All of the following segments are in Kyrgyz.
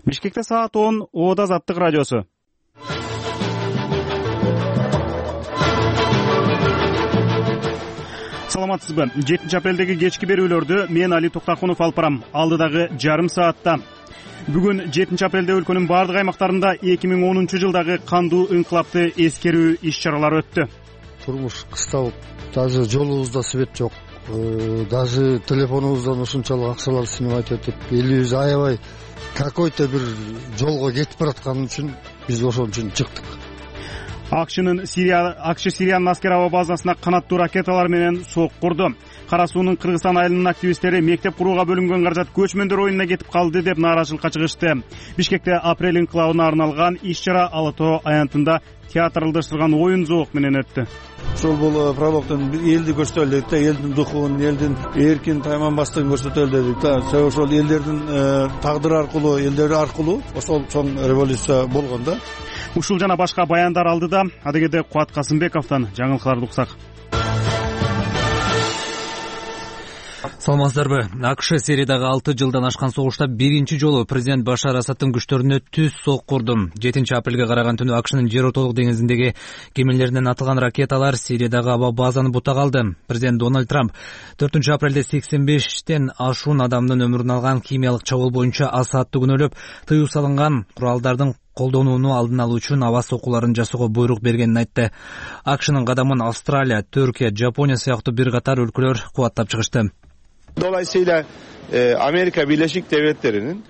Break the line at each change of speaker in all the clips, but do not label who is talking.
Бишкекте саат 10 Ода Азаттык радиосу. Саламатсызбы? 7 апрелдеги кечки берүүлөрдү мен Али Токтакунов алып барам. Алдыдагы жарым саатта. Бүгүн 7 апрелде өлкөнүн бардык аймактарында 2010 жылдагы кандуу инкылапты эскерүү иш-чаралары өттү.
Турмуш кысталып, даже жолубузда свет жок. Даже телефонубуздан ушунчалык акчалар синип айтып атып, элибиз аябай какой-то бир жолго кетип бараткан үчүн биз ошон үчүн чыктык.
АКШ Сириянын аскер аба базасына канаттуу ракеталар менен сок курду. Кара суунун Кыргызстан айылынын активисттери мектеп курууга бөлүнгөн каражат көчмөндөр оюнуна кетип калды деп нааразычылыкка чыгышты. Бишкекте апрель инкылабына арналган иш-чара Ала Тоо аянтында театралдаштырган оюн зоок менен өттү.
Ошол бул прологдон элди көрсөтөлү дедик да, элдин духун, элдин эркин тайманбастыгын көрсөтөлү дедик да. Ошол элдердин тагдыры аркылуу, элдери аркылуу ошол чоң революция болгон да.
Ушул жана башка баяндар алдыда адегеде Кубат Касымбековдон жаңылыктарды уксак.
Саламатсыздарбы? АКШ Сириядагы 6 жылдан ашкан согушта биринчи жолу президент Башар Асадтын күчтөрүнө түз сок курду. 7 апрелге караган түнү АКШнын жер ортолук деңизиндеги кемелеринен атылган ракеталар Сириядагы аба базаны бутак алды. Президент Дональд Трамп 4 апрелде 85тен ашуун адамдын өмүрүн алган химиялык чабуул боюнча Асадты күнөөлөп, тыюу салынган куралдардын колдонууну алдын алуу үчүн аба сокууларын жасоого буйрук бергенин айтты. АКШнын кадамын Австралия, Түркия, Жапония сыяктуу бир катар өлкөлөр кубаттап чыгышты.
Dolayısıyla Amerika Birleşik Devletleri'nin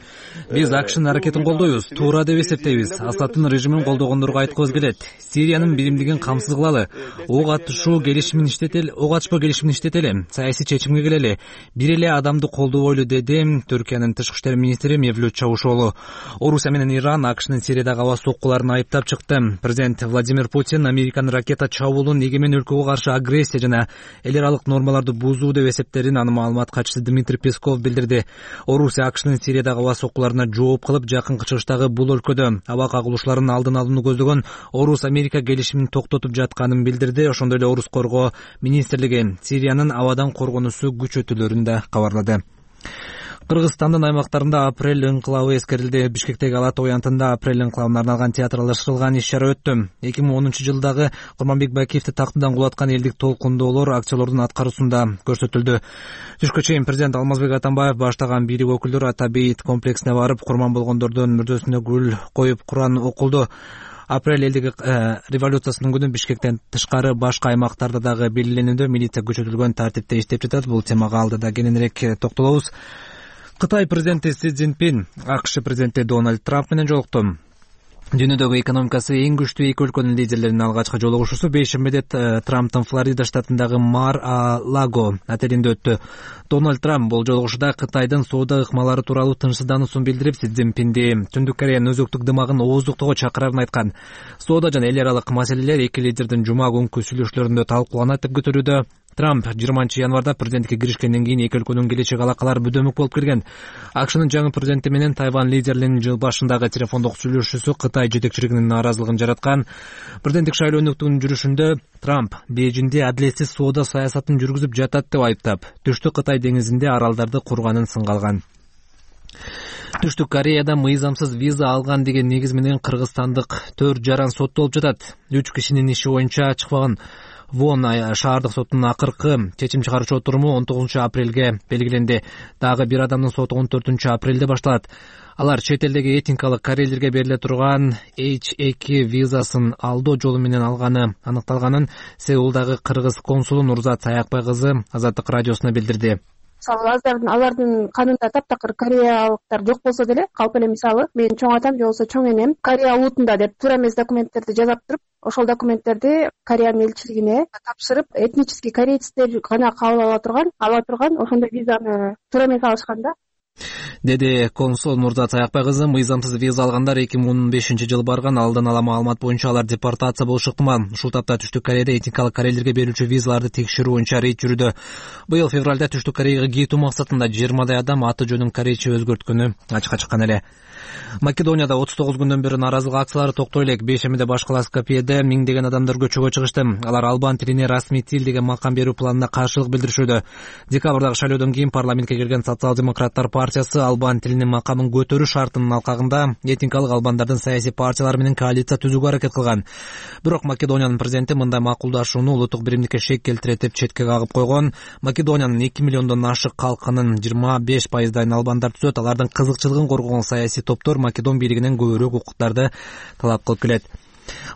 биз АКШнын аракетин колдойбуз, туура деп эсептейбиз. Асадтын режимин колдогондорго айткыбыз келет. Сириянын биримдигин камсыз кылалы. Ок атышпоо келишимин иштетели. Саясий чечимге келели. Бир эле адамды колдобойлу, деди Түркиянын тышкы иштер министри Мевлют Чавушоглу. Орусия менен Иран АКШнын Сириядагы аба соккуларын айыптап чыкты. Президент Владимир Путин Американын ракета чабуулун эгемен өлкөгө каршы агрессия жана эл аралык нормаларды бузуу деп эсептедин. Аны маалымат катчысы Дмитрий Песков билдирди. Орусия АКШнын Сириядагы аба соккуларына жооп кылып, жакынкы чыгыштагы бул өлкөдө аба кагылышууларын алдын алууну көздөгөн Орус-Америка келишимин токтотуп жатканын билдирди. Ошондой эле Орус коргоо министрлиги Сириянын абадан коргонуусу күчөтүлөрүн да кабарлады. Кыргызстандын аймактарында апрель инкылабы эскерилди. Бишкектеги Ала Тоо аянтында апрель инкылабына арналган театралдаштырылган иш-чара өттү. 2010 жылдагы Курманбек Бакиевди тактыдан кулаткан элдик толкундоолор акчалордун аткаруусунда көрсөтүлдү. Түшкө чейин президент Алмазбек Атамбаев баштаган бийлик өкүлдөрү Ата бейит комплексине барып, курман болгондордун мүрдөсүнө гүл коюп Куран окулду. Апрель элдик революциясынын күнү Бишкектен тышкары башка аймактарда дагы белгиленүүдө милиция күчөтүлгөн тартипте иштеп жатат. Бул темага алдыда кененирээк токтолобуз. Кытай президенти Си Цзиньпин АКШ президенти Дональд Трамп менен жолукту. Дүйнөдөгү экономикасы эң күчтүү эки өлкөнүн лидерлеринин алгачкы жолугушуусу бейшембиде Трамптын Флорида штатындагы Мар-а-Лаго отелинде өттү. Дональд Трамп бул жолугушууда Кытайдын соода ыкмалары тууралуу тынчсыздануусун билдирип, Си Цзиньпинди Түндүк Кореянын өзөктүк дымагын ооздуктоого чакырарын айткан. Соода жана эл аралык маселелер эки лидердин жума күнкү сүйлөшүүлөрүндө талкууланат деп күтүлүүдө. Трамп 20-январда президенттикке киришкенден кийин эки өлкөнүн келечек алакалары бүдөмүк болуп келген. АКШнын жаңы президенти менен Тайвань лидеринин жыл башындагы телефондук сүйлөшүүсү Кытай жетекчилигинин нааразылыгын жараткан. Президенттик шайлоонун жүрүшүндө Трамп Бейжиңде адилетсиз соода саясатын жүргүзүп жатат деп айыптап, Түштүк Кытай деңизинде аралдарды курганын сынга алган. Түштүк Кореяда мыйзамсыз виза алган деген негиз менен кыргызстандык 4 жаран соттолуп жатат. 3 кишинин иши боюнча чыкпаган Вон шаардык соттунун акыркы чечим чыгаруучу отуруму 19 апрелге белгиленди. Дагы бир адамдын соту 14 апрелде башталат. Алар чет элдеги этникалык корейлерге бериле турган H2 визасын алдоо жолу менен алганы аныкталганын Сеулдагы кыргыз консулу Нурзат Саякбай кызы Азаттык радиосуна билдирди.
Мисалы алардын канунда таптакыр кореялыктар жок болсо деле, калп эле мисалы мен чоң атам же болбосо чоң энем Корея улутунда деп туура эмес документтерди жасап туруп, ошол документтерди Кореянын элчилигине тапшырып, этнический корейцтер гана кабыл ала турган ошондой визаны туура эмес алышкан да.
Деди консул Нурзат Саякбай кызы. Мыйзамсыз виза алгандар 2015 жылы барган. Алдын ала маалымат боюнча алар депортация болушу ыктымал. Ушул тапта Түштүк Кореяда этникалык корейлерге берилүүчү визаларды текшерүү боюнча рейд жүрүүдө. Быйыл февралда Түштүк Кореяга кетүү максатында 20 адам аты жөнүн корейче өзгөрткөнү ачыкка чыккан эле. Македонияда 39 күндөн бери нааразылык акциялары токтой элек. Бейшембиде башкала Скопьеде миңдеген адамдар көчөгө чыгышты. Алар албан тилине расмий тил деген макам берүү планына каршылык билдиришүүдө. Декабрдагы шайлоодон кийин парламентке келген социал-демократтар партиясы албан тилинин макамын көтөрүү шартынын алкагында этникалык албандардын саясий партиялары менен коалиция түзүүгө аракет кылган. Бирок Македониянын президенти мындай макулдашууну улуттук биримдикке шек келтирет деп четке кагып койгон. Македониянын 2 миллиондон ашык калкынын 25%дайын албандар түзөт. Алардын кызыкчылыгын коргогон саясий топтор Македон бийлигинен көбүрөөк укуктарды талап кылып келет.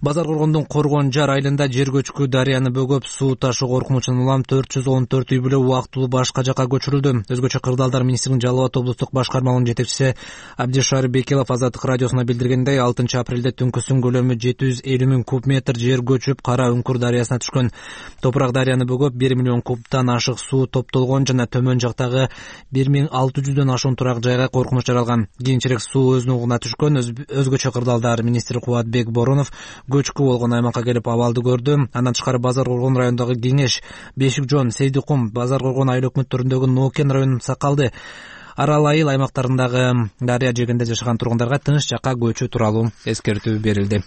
Базар Коргондун Коргон жар айылында жер көчкү дарыяны бөгөп суу ташуу коркунучунан улам 414 үй бүлө убактылуу башка жакка көчүрүлдү. Өзгөчө Кырдаалдар министринин Жалал Абад облустук башкармалыгынын жетекчиси Абдишар Бекелов Азаттык радиосуна билдиргендей, 6 апрелде түнкүсүн көлөмү 750 000 куб метр жер көчүп Кара Үңкүр дарыясына түшкөн. Топурак дарыяны бөгөп 1 миллион кубтан ашык суу топтолгон жана төмөн жактагы 1600дөн ашуун турак жайга коркунуч жаралган. Кийинчерээк суу өз нугуна түшкөн. Өзгөчө Кырдаалдар министри Кубатбек Боронов көчкү болгон аймакка келип абалды көрдү. Андан тышкары Базар Коргон районундагы Кеңеш, Бешик Жон, Сейдикум, Базар Коргон айыл өкмөттөрүндөгү Нокен районунун Сакалды, Арал айыл аймактарындагы дарыя жээгинде жашаган тургундарга тынч жакка көчүү тууралуу эскертүү берилди.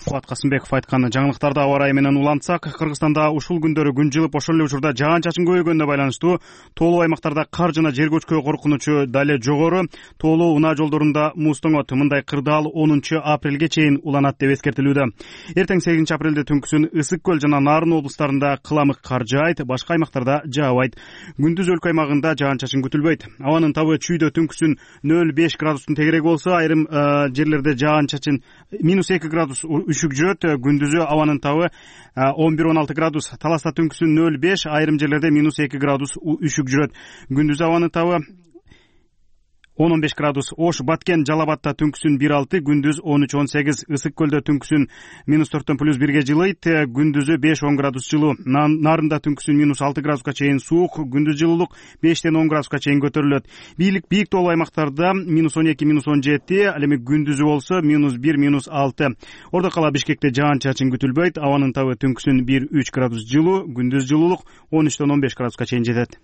Кубат Касымбеков айткан жаңылыктарды аба ырайы менен улантсак, Кыргызстанда ушул күндөрү күн жылып, ошол эле учурда жаан чачын көбөйгөнүнө байланыштуу тоолуу аймактарда кар жана жер көчкү коркунучу дале жогору. Тоолуу унаа жолдорунда муз тоңот. Мындай кырдаал 10 апрелге чейин уланат деп эскертилүүдө. Эртең 8 апрелде түнкүсүн Ысык көл жана Нарын облустарында кыламык кар жаайт, башка аймактарда жаабайт. Күндүз өлкө аймагында жаан чачын күтүлбөйт. Абанын табы чүйдө түнкүсүн 0,5 градустун тегерек болсо, айрым жерлерде жаан чачын -2 градус үшүк жүрөт. Күндүзү абанын табы 11-16 градус. Таласта түнкүсүн 0,5, айрым жерлерде -2 градус үшүк жүрөт. Күндүзү абанын табы 10-15 градус. Ош, Баткен, Жалабатта түнкүсүн 1,6, күндүз 13-18. Ысык көлдө түнкүсүн -4 +1 жылыйт, күндүзү 5-10 градус жылуу. Нарында түнкүсүн -6 градуска чейин суук, күндүз жылуулук 5-10 градуска чейин көтөрүлөт. Бийик тоолуу аймактарда -12-17, ал эми күндүзү болсо -1-6. Ордо кала Бишкекте жаан чачын күтүлбөйт. Абанын табы түнкүсүн 1-3 градус жылуу, күндүз жылуулук 13-15 градуска чейин жетет.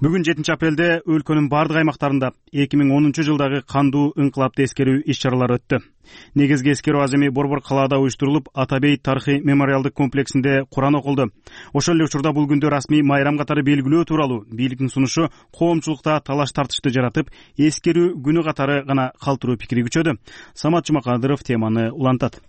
Бүгүн 7 апрелде өлкөнүн бардык аймактарында 2010 жылдагы кандуу ыңкылапты эскерүү иш-чаралары өттү. Негизги эскерүү аземи Борбор калаада уюштурулуп, Атабейт тарыхый мемориалдык комплексинде Куран окулду. Ошол эле учурда бул күндө расмий майрам катары белгилөө тууралуу бийликтин сунушу коомчулукта талаш тартышты жаратып, эскерүү күнү катары гана калтыруу пикири күчөдү. Самат Жумакадыров теманы улантат.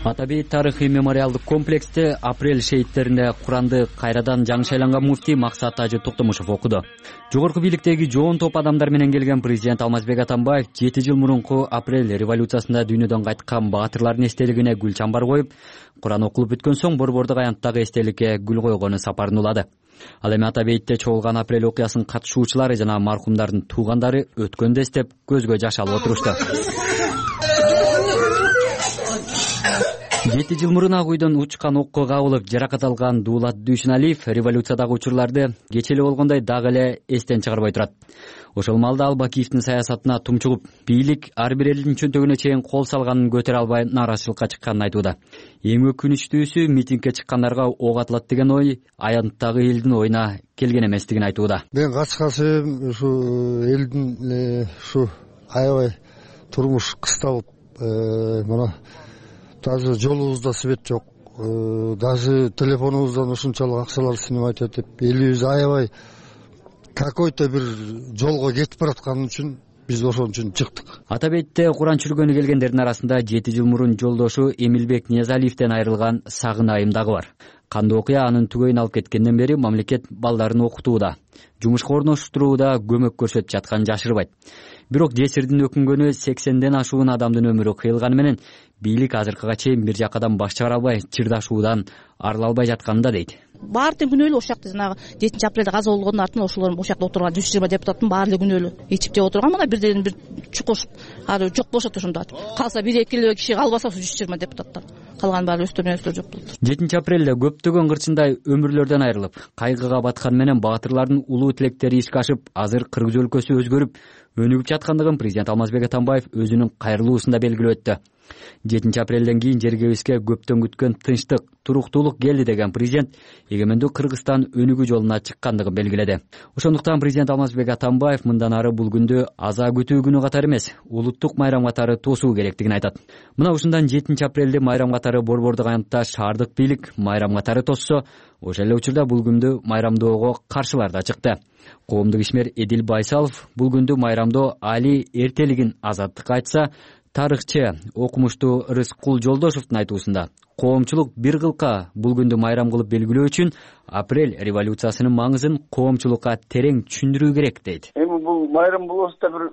Атабейт тарыхый мемориалдык комплексте апрель шейиттерине Куранды кайрадан жаңы шайланган муфтий Максат Тажы Токтомушев окуду. Жогорку бийликтеги жоон топ адамдар менен келген президент Алмазбек Атамбаев 7 жыл мурунку апрель революциясында дүйнөдөн кайткан баатырлардын эстелигине гүл чамбар коюп, Куран окулуп бүткөн соң Борбордук аянттагы эстеликке гүл койгону сапарын улады. Ал эми Атабейтте чогулган апрель окуясынын катышуучулары жана маркумдардын туугандары өткөндү эстеп көзгө жаш алып отурушту. 7 жыл мурун ак үйдөн учкан окко кабылып жаракат алган Дуулат Дүйшүналиев революциядагы учурларды кечээ эле болгондой дагы эле эстен чыгарбай турат. Ошол маалда Албакиевдин саясатына тумчугуп, бийлик ар бир элдин чөнтөгүнө чейин кол салганын көтөрө албай нааразычылыкка чыкканын айтууда. Эң өкүнүчтүүсү митингге чыккандарга ок атылат деген ой аянттагы элдин оюна келген эместигин айтууда.
Мен качкасы ушу элдин ушу аябай турмуш кысталып, мына даже жолубузда свет жок, даже телефонубуздан ушунчалык акчалар снимать этип, элибиз аябай какой-то бир жолго кетип бараткан үчүн биз ошон үчүн чыктык.
Атабейтте Куран чүргөнү келгендердин арасында 7 жыл мурун жолдошу Эмилбек Ниязалиевден айрылган Сагын айым дагы бар. Кандуу окуя анын түгөйүн алып кеткенден бери мамлекет балдарын окутууда, жумушка орноштурууда көмөк көрсөтүп жатканын жашырбайт. Бирок жесирдин өкүнгөнү 80ден ашуун адамдын өмүрү кыйылганы менен бийлик азыркыга чейин бир жакадан баш чыгара албай, чырдашуудан арыла албай жатканында дейт.
Баардык күнөөлүү ошол жакта жанагы 7 апрелде каза болгондун артынан ошолор ошол жакта отурган 120 депутаттын баары эле күнөөлүү. Ичип жеп отурган мына бирден бир чукур ары жок болушат ошондо. Калса 1-2 эле киши калбаса 120 депутаттар. Калган баары өстөрүнө жок болду.
7 апрелде көптөгөн кырчындай өмүрлөрдөн айрылып, кайгыга баткан менен баатырлардын улуу тилектери ишке ашып, азыр Кыргыз өлкөсү өзгөрүп, өнүгүп жаткандыгын президент Алмазбек Атамбаев өзүнүн кайрылуусунда белгилеп өттү. 7 апрелден кийин жергебизге көптөн күткөн тынчтык, туруктуулук келди деген президент эгемендүү Кыргызстан өнүгүү жолуна чыккандыгын белгиледи. Ошондуктан президент Алмазбек Атамбаев мындан ары бул күндү аза күтүү күнү катары эмес, улуттук майрам катары тосуу керектигин айтат. Мына ушундан 7 апрелди майрам катары Борбордук аянтта шаардык бийлик майрам катары тоссо, ошол эле учурда бул күндү майрамдоого каршылар да чыкты. Коомдук ишмер Эдил Байсалов бул күндү майрамдоо али эртелигин азаттыкка айтса, тарыхчы окумуштуу Рыскул Жолдошовдун айтуусунда коомчулук бир кылка бул күндү майрам кылып белгилөө үчүн апрель революциясынын маңызын коомчулукка терең түшүндүрүү керек дейт.
Эми бул майрам болсо да бир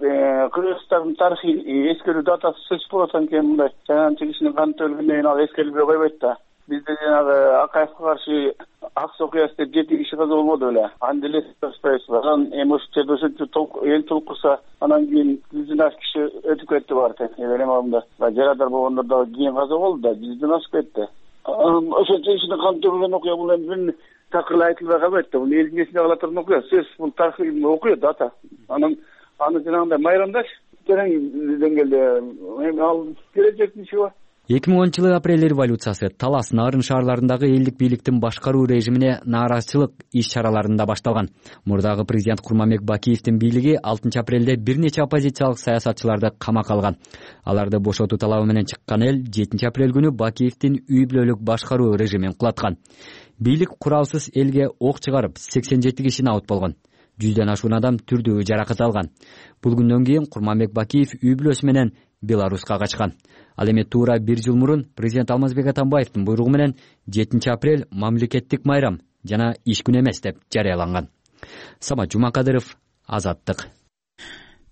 Кыргызстандын тарыхый эскерүү датасы сөзсүз болот экен, мындай жаганчы кишинин каны төгүлгөндөн кийин ал эскерилбей койбойт да. Бизде жанагы Акаевге каршы Акс окуясы деп 7 киши каза болбоду беле. Анда эле спайсыздар. Анан эми ошол жерде ошончо эл толкурса, анан кийин 100дөн ашык киши өтүп кетти бар экен. Эми алдында жарадар болгондор дагы кийин каза болду да, 100дөн ашык кетти. Ошончо кишинин каны төгүлгөн окуя бул эми такыр айтылбай калбайт да. Бул элдин эсинде кала турган окуя, сөзсүз бул тарыхый окуя дата. Аны жанагындай майрамдаш терең деңгээлде эми ал келечектин иши бар.
2010-жылы апрель революциясы Талас, Нарын шаарларындагы элдик бийликтин башкаруу режимине нааразычылык иш-чараларында башталган. Мурдагы президент Курманбек Бакиевдин бийлиги 6 апрелде бир нече оппозициялык саясатчыларды камакка алган. Аларды бошотуу талабы менен чыккан эл 7 апрель күнү Бакиевдин үй бүлөлүк башкаруу режимин кулаткан. Бийлик куралсыз элге ок чыгарып, 87 киши абут болгон. 100дөн ашуун адам түрдүү жаракат алган. Бул күндөн кийин Курманбек Бакиев үй бүлөсү менен Беларуска качкан. Ал эми туура 1 жыл мурун президент Алмазбек Атамбаевдин буйругу менен 7 апрель мамлекеттик майрам жана иш күнү эмес деп жарыяланган. Самат Жумакадыров, Азаттык.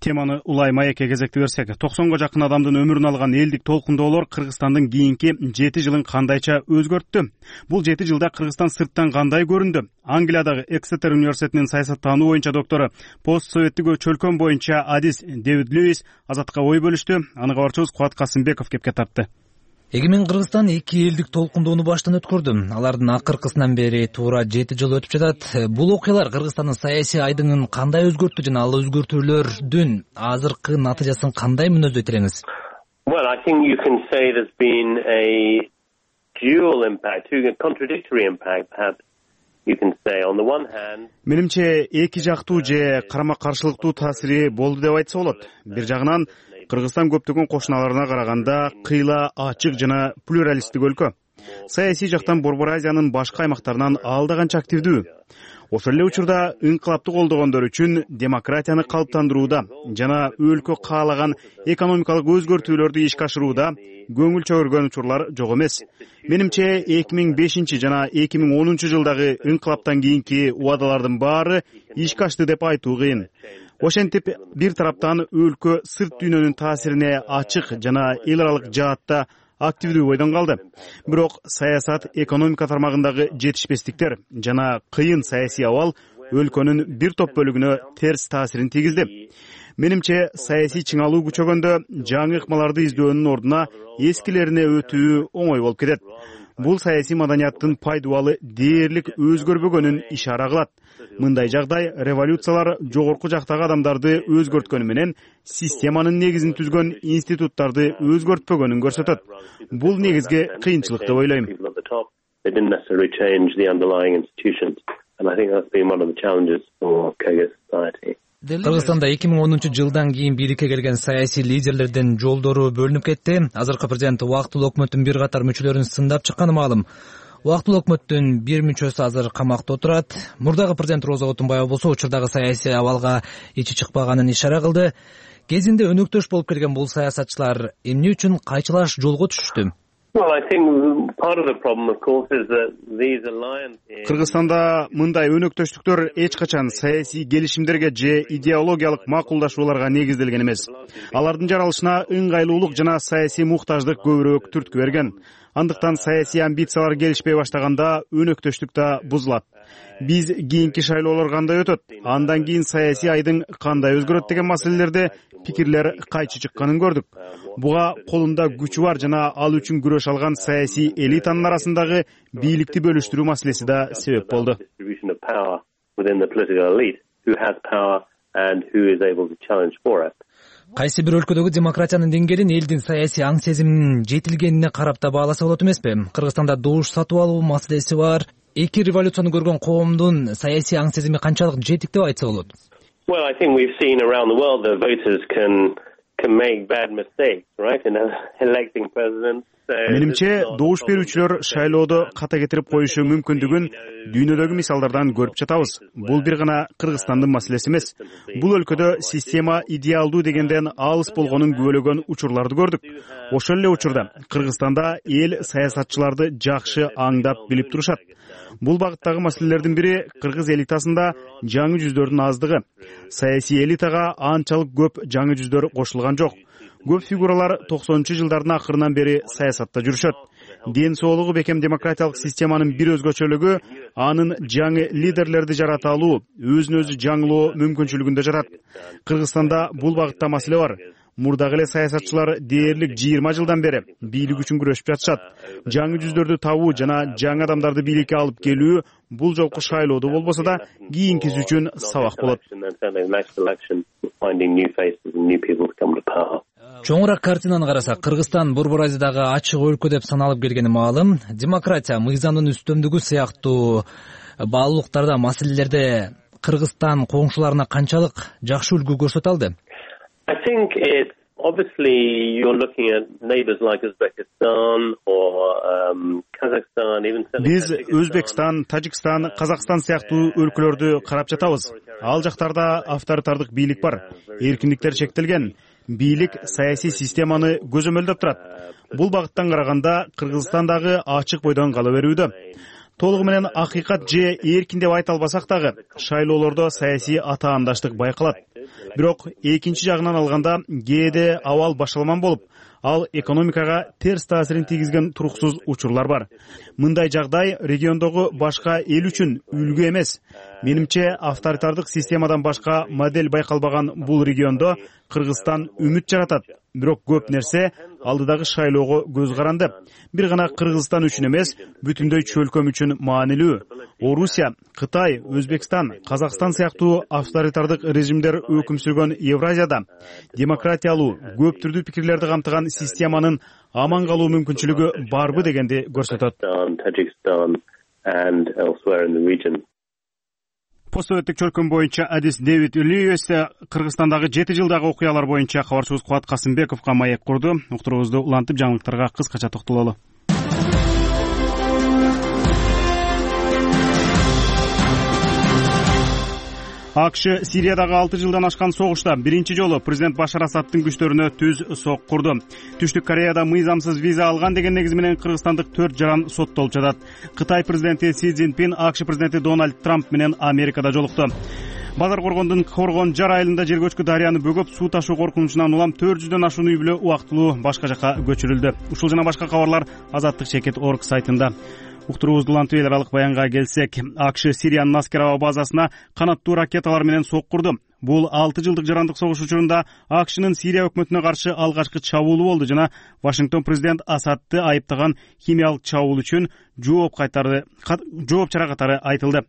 Теманы улай маекке кезекти берсек, 90го жакын адамдын өмүрүн алган элдик толкундоолор Кыргызстандын кийинки 7 жылын кандайча өзгөрттү? Бул 7 жылда Кыргызстан сырттан кандай көрүндү? Англиядагы Эксетер университетинин саясаттануу боюнча доктору, постсоветтик чөлкөм боюнча адис Дэвид Льюис Азаттыкка ой бөлүштү. Аны кабарчыбыз Кубат Касымбеков кепке тартты.
Эгемен Кыргызстан 2 элдик толкундоону баштан өткөрдү. Алардын акыркысынан бери туура 7 жыл өтүп жатат. Бул окуялар Кыргызстандын саясий айдыңын кандай өзгөрттү жана ал өзгөртүүлөрдүн азыркы натыйжасын кандай мүнөздөйт элеңиз?
Well, I think you can say there's been a dual impact, a contradictory impact, perhaps you can say. On the one hand,
менимче эки жактуу же карама-каршылыктуу таасири болду деп айтса болот. Бир жагынан Кыргызстан көптөгөн кошуналарына караганда кыйла, ачык жана плюралисттик өлкө. Саясий жактан Борбор Азиянын башка аймактарынан алда канча активдүү. Ошол эле учурда инкылапты колдогондор үчүн демократияны калыптандырууда жана өлкө каалаган экономикалык өзгөртүүлөрдү ишке ашырууда көңүл чөгөргөн учурлар жок эмес. Менимче 2005 жана 2010 жылдагы инкылаптан кийинки убадалардын баары ишке ашты деп айтуу кыйын. Ошентип, бир тараптан өлкө сырт дүйнөнүн таасирине ачык жана эл аралык жаатта активдүү бойдон калды. Бирок саясат, экономика тармагындагы жетишпестиктер жана кыйын саясий абал өлкөнүн бир топ бөлүгүнө терс таасирин тийгизди. Менимче саясий чыңалуу күчөгөндө жаңы ыкмаларды издөөнүн ордуна эскилерине өтүү оңой болуп кетет. Бул саясий маданияттын пайдубалы дээрлик өзгөрбөгөнүн ишара кылат. Мындай жагдай революциялар жогорку жактагы адамдарды өзгөрткөнү менен системанын негизин түзгөн институттарды өзгөртпөгөнүн көрсөтөт. Бул негизги кыйынчылык деп ойлойм.
Кыргызстанда 2010 жылдан кийин бийликке келген саясий лидерлердин жолдору бөлүнүп кетти. Азыркы президент убактылуу өкмөттүн бир катар мүчөлөрүн сындап чыкканы маалым. Убактылуу өкмөттүн бир мүчөсү азыр камакта отурат. Мурдагы президент Роза Отунбаева болсо учурдагы саясий абалга ичи чыкпаганын ишара кылды. Кезинде өнөктөш болуп келген бул саясатчылар эмне үчүн кайчылаш жолго түшүштү?
Кыргызстанда мындай өнөктөштүктөр эч качан саясий келишимдерге же идеологиялык макулдашууларга негизделген эмес. Алардын жаралышына ыңгайлуулук жана саясий муктаждык көбүрөөк түрткү берген. Андыктан саясий амбициялар келишпей баштаганда өнөктөштүк да бузулат. Биз кийинки шайлоолор кандай өтөт, андан кийин саясий айдың кандай өзгөрөт деген маселелерде пикирлер кайчы чыкканын көрдүк. Буга колунда күчү бар жана ал үчүн күрөш алган саясий элитанын арасындагы бийликти бөлүштүрүү маселеси да себеп болду.
and who is able to challenge for it.
Кайсы бир өлкөдөгү демократиянын деңгээлин элдин саясий аң сезиминин жетилгенине карап да бааласа болот эмеспи? Кыргызстанда добуш сатып алуу маселеси бар. Эки революцияны көргөн коомдун саясий аң сезими канчалык жетик деп айтса болот?
Well, I think we've seen around the world that voters can make bad mistakes, right, in electing presidents.
Менимче, добуш берүүчүлөр шайлоодо ката кетирип коюшу мүмкүндүгүн дүйнөдөгү мисалдардан көрүп жатабыз. Бул бир гана Кыргызстандын маселеси эмес. Бул өлкөдө система идеалдуу дегенден алыс болгонун күбөлөгөн учурларды көрдүк. Ошол эле учурда Кыргызстанда эл саясатчыларды жакшы аңдап билип турушат. Бул багыттагы маселелердин бири кыргыз элитасында жаңы жүздөрдүн аздыгы. Саясий элитага анчалык көп жаңы жүздөр кошулган жок. Көп фигуралар 90-жылдардын акырынан бери саясатта жүрүшөт. Ден соолугу бекем демократиялык системанын бир өзгөчөлүгү анын жаңы лидерлерди жарата алуу, өзүн өзү жаңылоо мүмкүнчүлүгүндө жатат. Кыргызстанда бул багытта маселе бар. Мурдагы эле саясатчылар дээрлик 20 жылдан бери бийлик үчүн күрөшүп жатышат. Жаңы жүздөрдү табуу жана жаңы адамдарды бийликке алып келүү бул жолку шайлоодо болбосо да кийинкиси үчүн сабак болот.
Чоңураак картинаны карасак, Кыргызстан Борбор Азиядагы ачык өлкө деп саналып келгени маалым. Демократия, мыйзамдын үстөмдүгү сыяктуу баалуулуктарда, маселелерде Кыргызстан коңшуларына канчалык жакшы үлгү көрсөтө алды?
I think it's obviously you're looking at neighbors like Uzbekistan or Kazakhstan, even
Биз Өзбекстан, Тажикстан, Казакстан сыяктуу өлкөлөрдү карап жатабыз. Ал жактарда авторитардык бийлик бар. Эркиндиктер чектелген. Бийлик саясий системаны көзөмөлдөп турат. Бул багыттан караганда Кыргызстандагы ачык бойдон кала берүүдө. Толугу менен акыйкат же эркин деп айта албасак дагы, шайлоолордо саясий атаандаштык байкалат. Бирок экинчи жагынан алганда кээде абал башаламан болуп, ал экономикага терс таасирин тийгизген туруксуз учурлар бар. Мындай жагдай региондогу башка эл үчүн үлгү эмес. Менимче, авторитардык системадан башка модель байкалбаган бул региондо Кыргызстан үмүт жаратат. Бирок көп нерсе алдыдагы шайлоого көз каранды. Бир гана Кыргызстан үчүн эмес, бүтүндөй чөлкөм үчүн маанилүү. Орусия, Кытай, Өзбекстан, Казакстан сыяктуу авторитардык режимдер өкүм сүргөн Евразияда демократиялуу, көп түрдүү пикирлерди камтыган системанын аман калуу мүмкүнчүлүгү барбы дегенди көрсөтөт. Постсоветтик чөлкөм боюнча адис Дэвид Льюис Кыргызстандагы 7 жылдагы окуялар боюнча кабарчыбыз Кубат Касымбековго маек курду. Уктуруубузду улантып жаңылыктарга кыскача токтололу. АКШ Сириядагы 6 жылдан ашкан согушта биринчи жолу президент Башар Асадтын күчтөрүнө түз сок курду. Түштүк Кореяда мыйзамсыз виза алган деген негиз менен кыргызстандык 4 жаран соттолуп жатат. Кытай президенти Си Цзиньпин АКШ президенти Дональд Трамп менен Америкада жолукту. Базар Коргондун Коргон-Жар айылында жер көчкү дарыяны бөгөп суу ташуу коркунучунан улам 400дөн ашуун үй бүлө убактылуу башка жака көчүрүлдү. Ушул жана башка кабарлар Азаттык.org сайтында. Уктуруубузду улантып эл аралык баянга келсек, АКШ Сириянын Наскер базасына канаттуу ракеталар менен сок курду. Бул 6 жылдык жарандык согуш учурунда АКШнын Сирия өкмөтүнө каршы алгачкы чабуулу болду жана Вашингтон президент Асадты айыптаган химиялык чабуул үчүн жооп чара катары айтылды.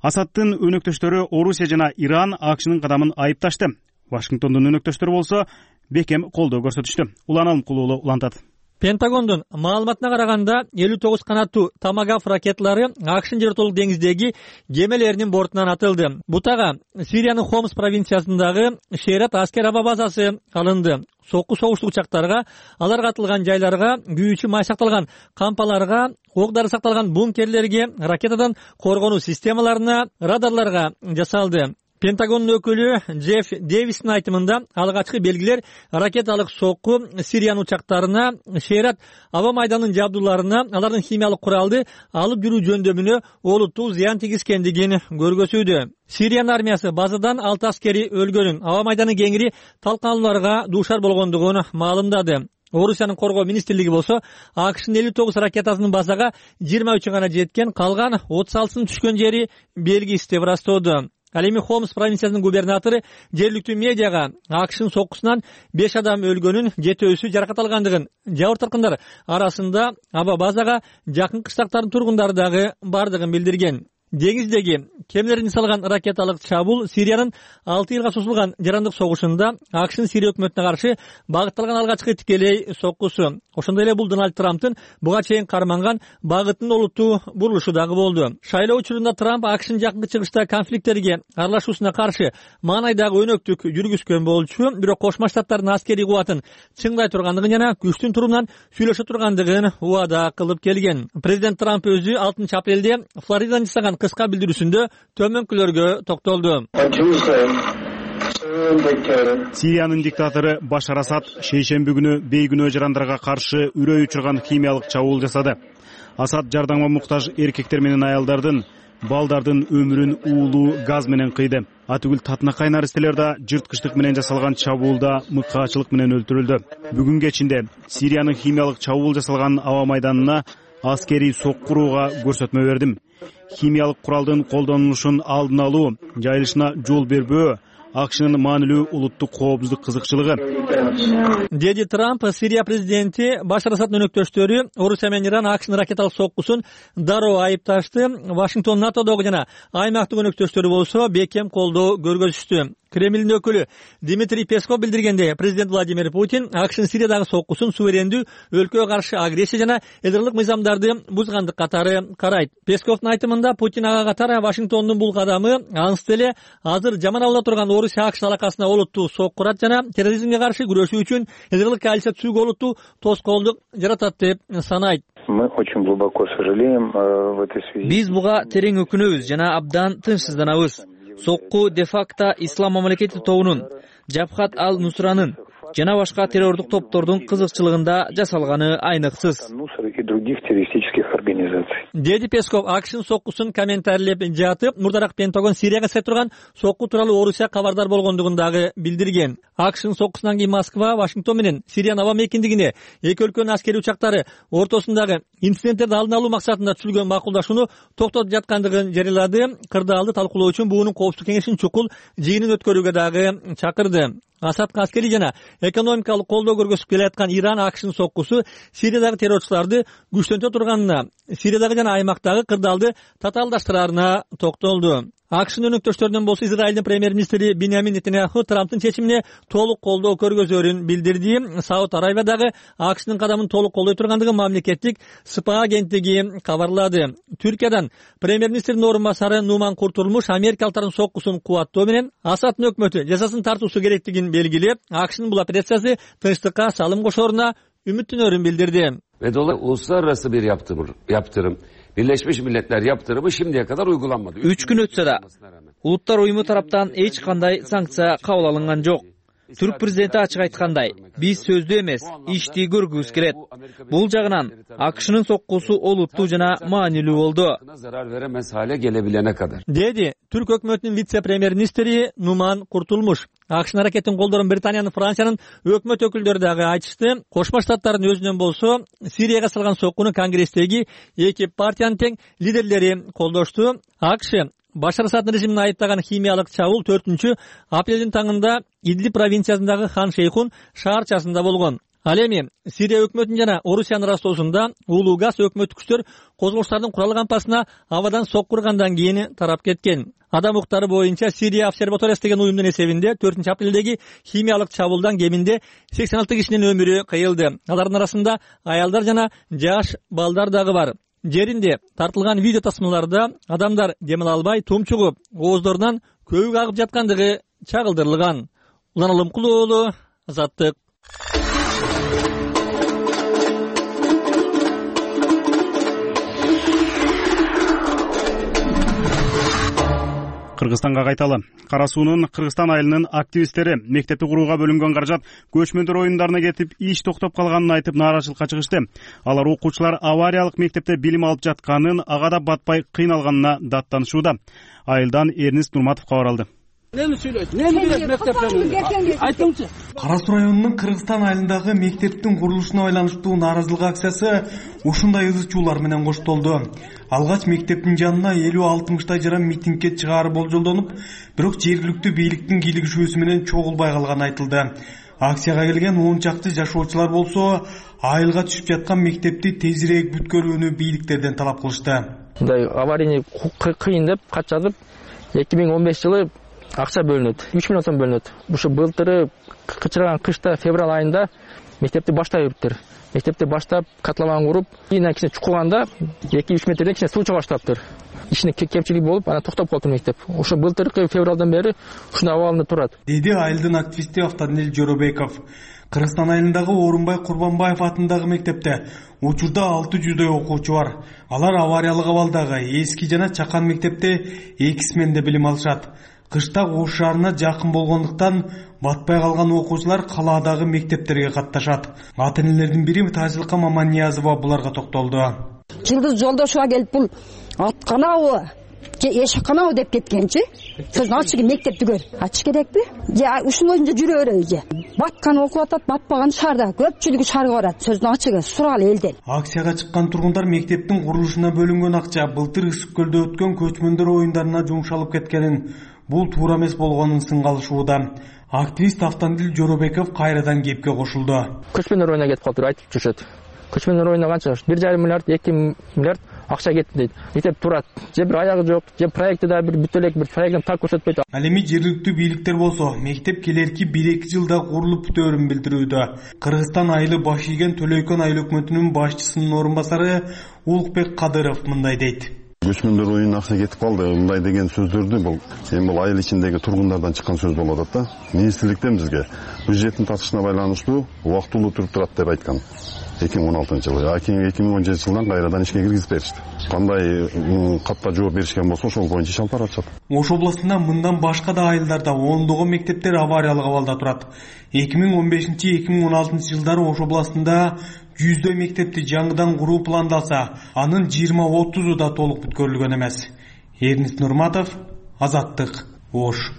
Асадтын өнөктөштөрү Орусия жана Иран АКШнын кадамын айыпташты. Вашингтондун өнөктөштөрү болсо бекем колдоо көрсөтүштү. Улан Алымкулуулу улантат.
Пентагондун маалыматына караганда 59 канаттуу Томагав ракеталары АКШнын жер ортолук деңиздеги кемелеринин бортунан атылды. Бутага Сириянын Хомс провинциясындагы Шерат аскер аба базасы алынды. Сокку согуштук учактарга, аларга атылган жайларга, күйүүчү май сакталган кампаларга, ок дары сакталган бункерлерге, ракетадан коргонуу системаларына, радарларга жасалды. Пентагондун өкүлү Джефф Дэвистин айтымында алгачкы белгилер ракеталык сокку Сириянын учактарына, Шерат аба майданынын жабдууларына, алардын химиялык куралды алып жүрүү жөндөмүнө олуттуу зыян тийгизгендигин көргөзүүдө. Сириянын армиясы базадан 6 аскери өлгөнүн, аба майданы кеңири талканалууларга дуушар болгондугун маалымдады. Орусиянын коргоо министрлиги болсо АКШнын 59 ракетасынын базага 23 гана жеткен, калган 36 түшкөн жери белгисиз деп ырастоодо. Ал эми Хомс провинциясынын губернатору жергиликтүү медиага АКШнын соккусунан 5 адам өлгөнүн, 7-өсү жаракат алгандыгын, жабыр тарткандар арасында аба базага жакын кыштактардын тургундары дагы бардыгын билдирген. деңиздеги кемелерин салган ракеталык чабуул Сириянын 6 жылга созулган жарандык согушунда АКШнын Сирия өкмөтүнө каршы багытталган алгачкы тикелей соккусу. Ошондой эле бул Дональд Трамптын буга чейин карманган багытынын олуттуу бурулушу дагы болду. Шайлоо учурунда Трамп АКШнын жакынкы чыгышта конфликттерге аралашуусуна каршы маанайдагы өнөктүк жүргүзгөн болчу, бирок Кошмо Штаттардын аскерий кубатын чыңдай тургандыгын жана күчтүн турумунан сүйлөшө тургандыгын убада кылып келген. Президент Трамп өзү 6 апрелде Флоридадан жасаган кыска билдирүүсүндө төмөнкүлөргө токтолду.
Сириянын диктатору Башар Асад шейшемби күнү бейгүнөө жарандарга каршы үрөй учурган химиялык чабуул жасады. Асад жардамга муктаж эркектер менен аялдардын, балдардын өмүрүн уулуу газ менен кыйды. Атүгүл татынакай наристелер да жырткычтык менен жасалган чабуулда мыкаачылык менен өлтүрүлдү. Бүгүн кечинде Сириянын химиялык чабуул жасалган аба майданына аскерий соккурууга көрсөтмө бердим. Химиялык куралдын колдонулушун алдын алуу, жайылышына жол бербөө АКШнын маанилүү улуттук коопсуздук кызыкчылыгы, деди Трамп. Сирия президенти Башар Асаддын өнөктөштөрү Орусия менен Иран АКШнын ракеталык соккусун дароо айыпташты. Вашингтон НАТОдогу жана аймактык өнөктөштөрү болсо бекем колдоо көргөзүштү. Кремлдин өкүлү Дмитрий Песков билдиргенде, президент Владимир Путин АКШнын Сириядагы соккусун суверендүү өлкөгө каршы агрессия жана ядролук мыйзамдарды бузгандык катары карайт. Песковдун айтымында Путин ага катары Вашингтондун бул кадамы ансыз эле азыр жаман абалда турган Орусия АКШ алакасына олуттуу соккурат жана терроризмге каршы күрөшүү үчүн ядролук коалиция түзүүгө олуттуу тоскоолдук жаратат деп санайт. Биз буга терең өкүнөбүз жана абдан тынчсызданабыз. Сокку де-факто ислам мамлекети тобунун, Жабхат ал-Нусранын жана башка террордук топтордун кызыкчылыгында жасалганы айныксыз, деди Песков. АКШнын соккусун комментарийлеп жатып, мурдараак Пентагон Сирияга жасай турган сокку тууралуу Орусия кабардар болгондугун дагы билдирген. АКШнын соккусунан кийин Москва, Вашингтон менен Сириянын аба мейкиндигине эки өлкөнүн аскерий учактары ортосундагы инциденттерди алдын алуу максатында түзүлгөн макулдашууну токтотуп жаткандыгын жарыялады. Кырдаалды талкуулоо үчүн буунун коопсуздук кеңешинин чукул жыйынын өткөрүүгө дагы чакырды. Асадка аскерий жана экономикалык колдоо көргөзүп келаткан Иран АКШнын соккусу Сириядагы террорчуларды күчтөнтө турганына, Сириядагы жана аймактагы кырдаалды татаалдаштыраарына токтолду. АКШнын өнөктөштөрүнөн болсо Израилдин премьер-министри Биньямин Нетаньяху Трамптын чечимине толук колдоо көргөзөрүн билдирди. Сауд Аравиядагы АКШнын кадамын толук колдой тургандыгын мамлекеттик СПА агенттиги кабарлады. Түркиядан премьер-министрдин орун басары Нуман Куртулмуш америкалыктардын соккусун кубаттоо менен Асаддын өкмөтү жазасын тартуусу керектигин белгилеп, АКШнын бул операциясы тынчтыкка салым кошооруна үмүттөнөрүн билдирди.
Uluslararası bir yaptırım, Birleşmiş Milletler yaptırımı şimdiye kadar uygulanmadı.
3 gün ötse de Улуттар уюму тараптан эч кандай санкция кабыл алынган жок. Түрк президенти ачык айткандай, биз сөздүү эмес, ишти көргүбүз келет. Бул жагынан АКШнын соккусу олуттуу жана маанилүү болду, деди Түрк өкмөтүнүн вице-премьер-министри Нуман Куртулмуш. АКШнын аракетин колдорун Британиянын, Франциянын өкмөт өкүлдөрү дагы айтышты. Кошмо Штаттардын өзүнөн болсо Сирияга салган соккуну Конгресстеги эки партиянын тең лидерлери колдошту. АКШ Башар Асаддын режимин айыптаган химиялык чабуул 4 апрелдин таңында Идлиб провинциясындагы Хан Шейхун шаарчасында болгон. Ал эми Сирия өкмөтүнүн жана Орусиянын арасындагы улуу газ өкмөттүк күчтөр козголуштардын куралы кампасына абадан соккургандан кийин тарап кеткен. Адам укуктары боюнча Сирия обсерваториясы деген уюмдун эсебинде 4 апрелдеги химиялык чабуулдан кеминде 86 кишинин өмүрү кыйылды. Алардын арасында аялдар жана жаш балдар дагы бар. Жеринде тартылган видео тасмаларда адамдар демиле албай тумчугуп, ооздорунан көбүк агып жаткандыгы чагылдырылган. Улан Алымкулуу уулу, Азаттык.
Кыргызстанга кайталы. Кара суунун Кыргызстан айылынын активисттери мектепти курууга бөлүнгөн каражат көчмөндөр оюндарына кетип иш токтоп калганын айтып нааразычылыкка чыгышты. Алар окуучулар авариялык мектепте билим алып жатканын, ага да батпай кыйналганына даттанышууда. Айылдан Эрнист Нурматов кабар алды.
Кара суу районунун Кыргызстан айылындагы мектептин курулушуна байланыштуу нааразылык акциясы ушундай ызы чуулар менен коштолду. Алгач мектептин жанына 50-60 жаран митингге чыгаары болжолдонуп, бирок жергиликтүү бийликтин кийлигишүүсү менен чогулбай калганы айтылды. Акцияга келген 10 чакты жашоочулар болсо, айылга түшүп жаткан мектепти тезирээк бүткөрүүнү бийликтерден талап кылышты.
мындай аварийный кыйын деп кат жазып 2015 жылы акча бөлүнөт, 3 миллион сом бөлүнөт. Ушу былтыры кычырган кышта февраль айында мектепти баштап бериптир. Мектепти баштап котлован куруп, кийин кичине чукуганда 2-3 метрден кичине суу чыга баштаптыр. Ишине кемчилик болуп, анан токтоп калды мектеп. Ошо былтыркы февралдан бери ушундай абалында турат.
Деди айылдын активисти Автандил Жоробеков. Кыргызстан айылындагы Орунбай Курбанбаев атындагы мектепте учурда 600дөй окуучу бар. Алар авариялык абалдагы эски жана чакан мектепте 2 сменде билим алышат. Кышта Ош шаарына жакын болгондуктан батпай калган окуучулар калаадагы мектептерге катташат. Ата-энелердин бири Тазилкам Маманниязова буларга токтолду.
Жылдыз Жолдошова келип бул атканабы же эшикканабы деп кеткенчи. Сөз ачык мектепти көр. Ачыш керекпи? Же ушунун өзүндө жүрө береби же? Баткан окуп атат, батпаган шаарда көпчүлүгү шаарга барат. Сөздүн ачыгы суралы элден.
Акцияга чыккан тургундар мектептин курулушуна бөлүнгөн акча былтыр Ысык көлдө өткөн көчмөндөр оюндарына жумшалып кеткенин, бул туура эмес болгонун сынгалышууда. Активист Автандил Жоробеков кайрадан кепке кошулду.
Көчмөндөр оюнуна кетип калдыр, айтып жүрүшөт. Көчмөндөр оюнуна канча? 1,5 миллиард, 2 миллиард акча кетти дейт. Мектеп турат. Же бир аягы жок, же проекти да бир бүт элек бир проекттен так көрсөтпөйт.
Ал эми жергиликтүү бийликтер болсо, мектеп келерки 1-2 жылда курулуп бүтөөрүн билдирүүдө. Кыргызстан айылы баш ийген Төлөйкөн айыл өкмөтүнүн башчысынын орун басары Улукбек Кадыров мындай дейт.
Көчмөндөр оюнуна акча кетип калды. Мындай деген сөздөрдү бул айыл ичиндеги тургундардан чыккан сөз болуп атат да. Министрликтен бизге бюджеттин татышына байланыштуу убактылуу туруп турат деп айткан. 2016-жылы, 2017 жылдан кайрадан ишке киргизип беришти. Кандай катта жооп беришкен болсо, ошол боюнча иш алып баратышат.
Ош областында мындан башка да айылдарда ондогон мектептер авариялык абалда турат. 2015-2016 жылдары Ош областында 100дөй мектепти жаңыдан куруу пландалса, анын 20-30 да толук бүткөрүлгөн эмес. Эрнис Нурматов, Азаттык, Ош.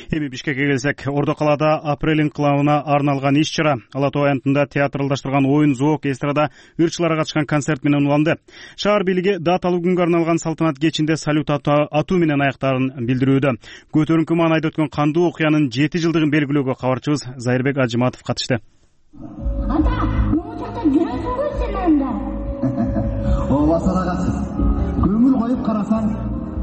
Эми Бишкекке келсек, Ордо калаада апрель инкылабына арналган иш-чара Ала Тоо аянтында театралдаштырган оюн, зоок, эстрада ырчылары катышкан концерт менен уланды. Шаар бийлиги даталуу күнгө арналган салтанат кечинде салют атуу менен аяктаарын билдирүүдө. Көтөрүнкү маанайда өткөн кандуу окуянын 7 жылдыгын белгилөөгө кабарчыбыз Зайырбек Ажыматов катышты.
Ата, могу жакта жүрөсүңбү сен анда? Ооба салагатсыз. Көңүл коюп карасаң,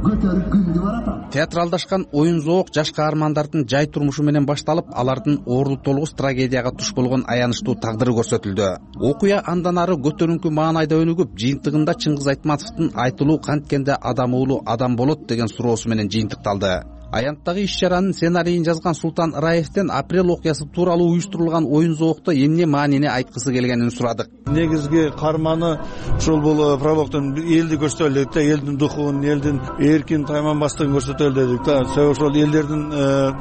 көтөрүп күндү барат.
Театралдашкан оюн, зоок жаш каармандардын жай турмушу менен башталып, алардын оору толгус трагедияга туш болгон аянычтуу тагдыры көрсөтүлдү. Окуя андан ары көтөрүнкү маанайда өнүгүп, жыйынтыгында Чыңгыз Айтматовдун айтылуу канткенде адам уулу адам болот деген суроосу менен жыйынтыкталды. Аянттагы иш-чаранын сценарийин жазган Султан Раевден апрель окуясы тууралуу уюштурулган оюн, зоокто эмне маанини айткысы келгенин сурадык.
Негизги карманы ушул бул прологдон элди көрсөтөлү дедик да, элдин духун, элдин эркин тайманбастыгын көрсөтөлү дедик да. Ошол элдердин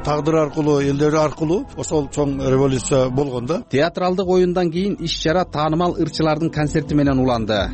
тагдыры аркылуу, элдери аркылуу ошол чоң революция болгон да.
Театралдык оюндан кийин иш-чара таанымал ырчылардын концерти менен уланды.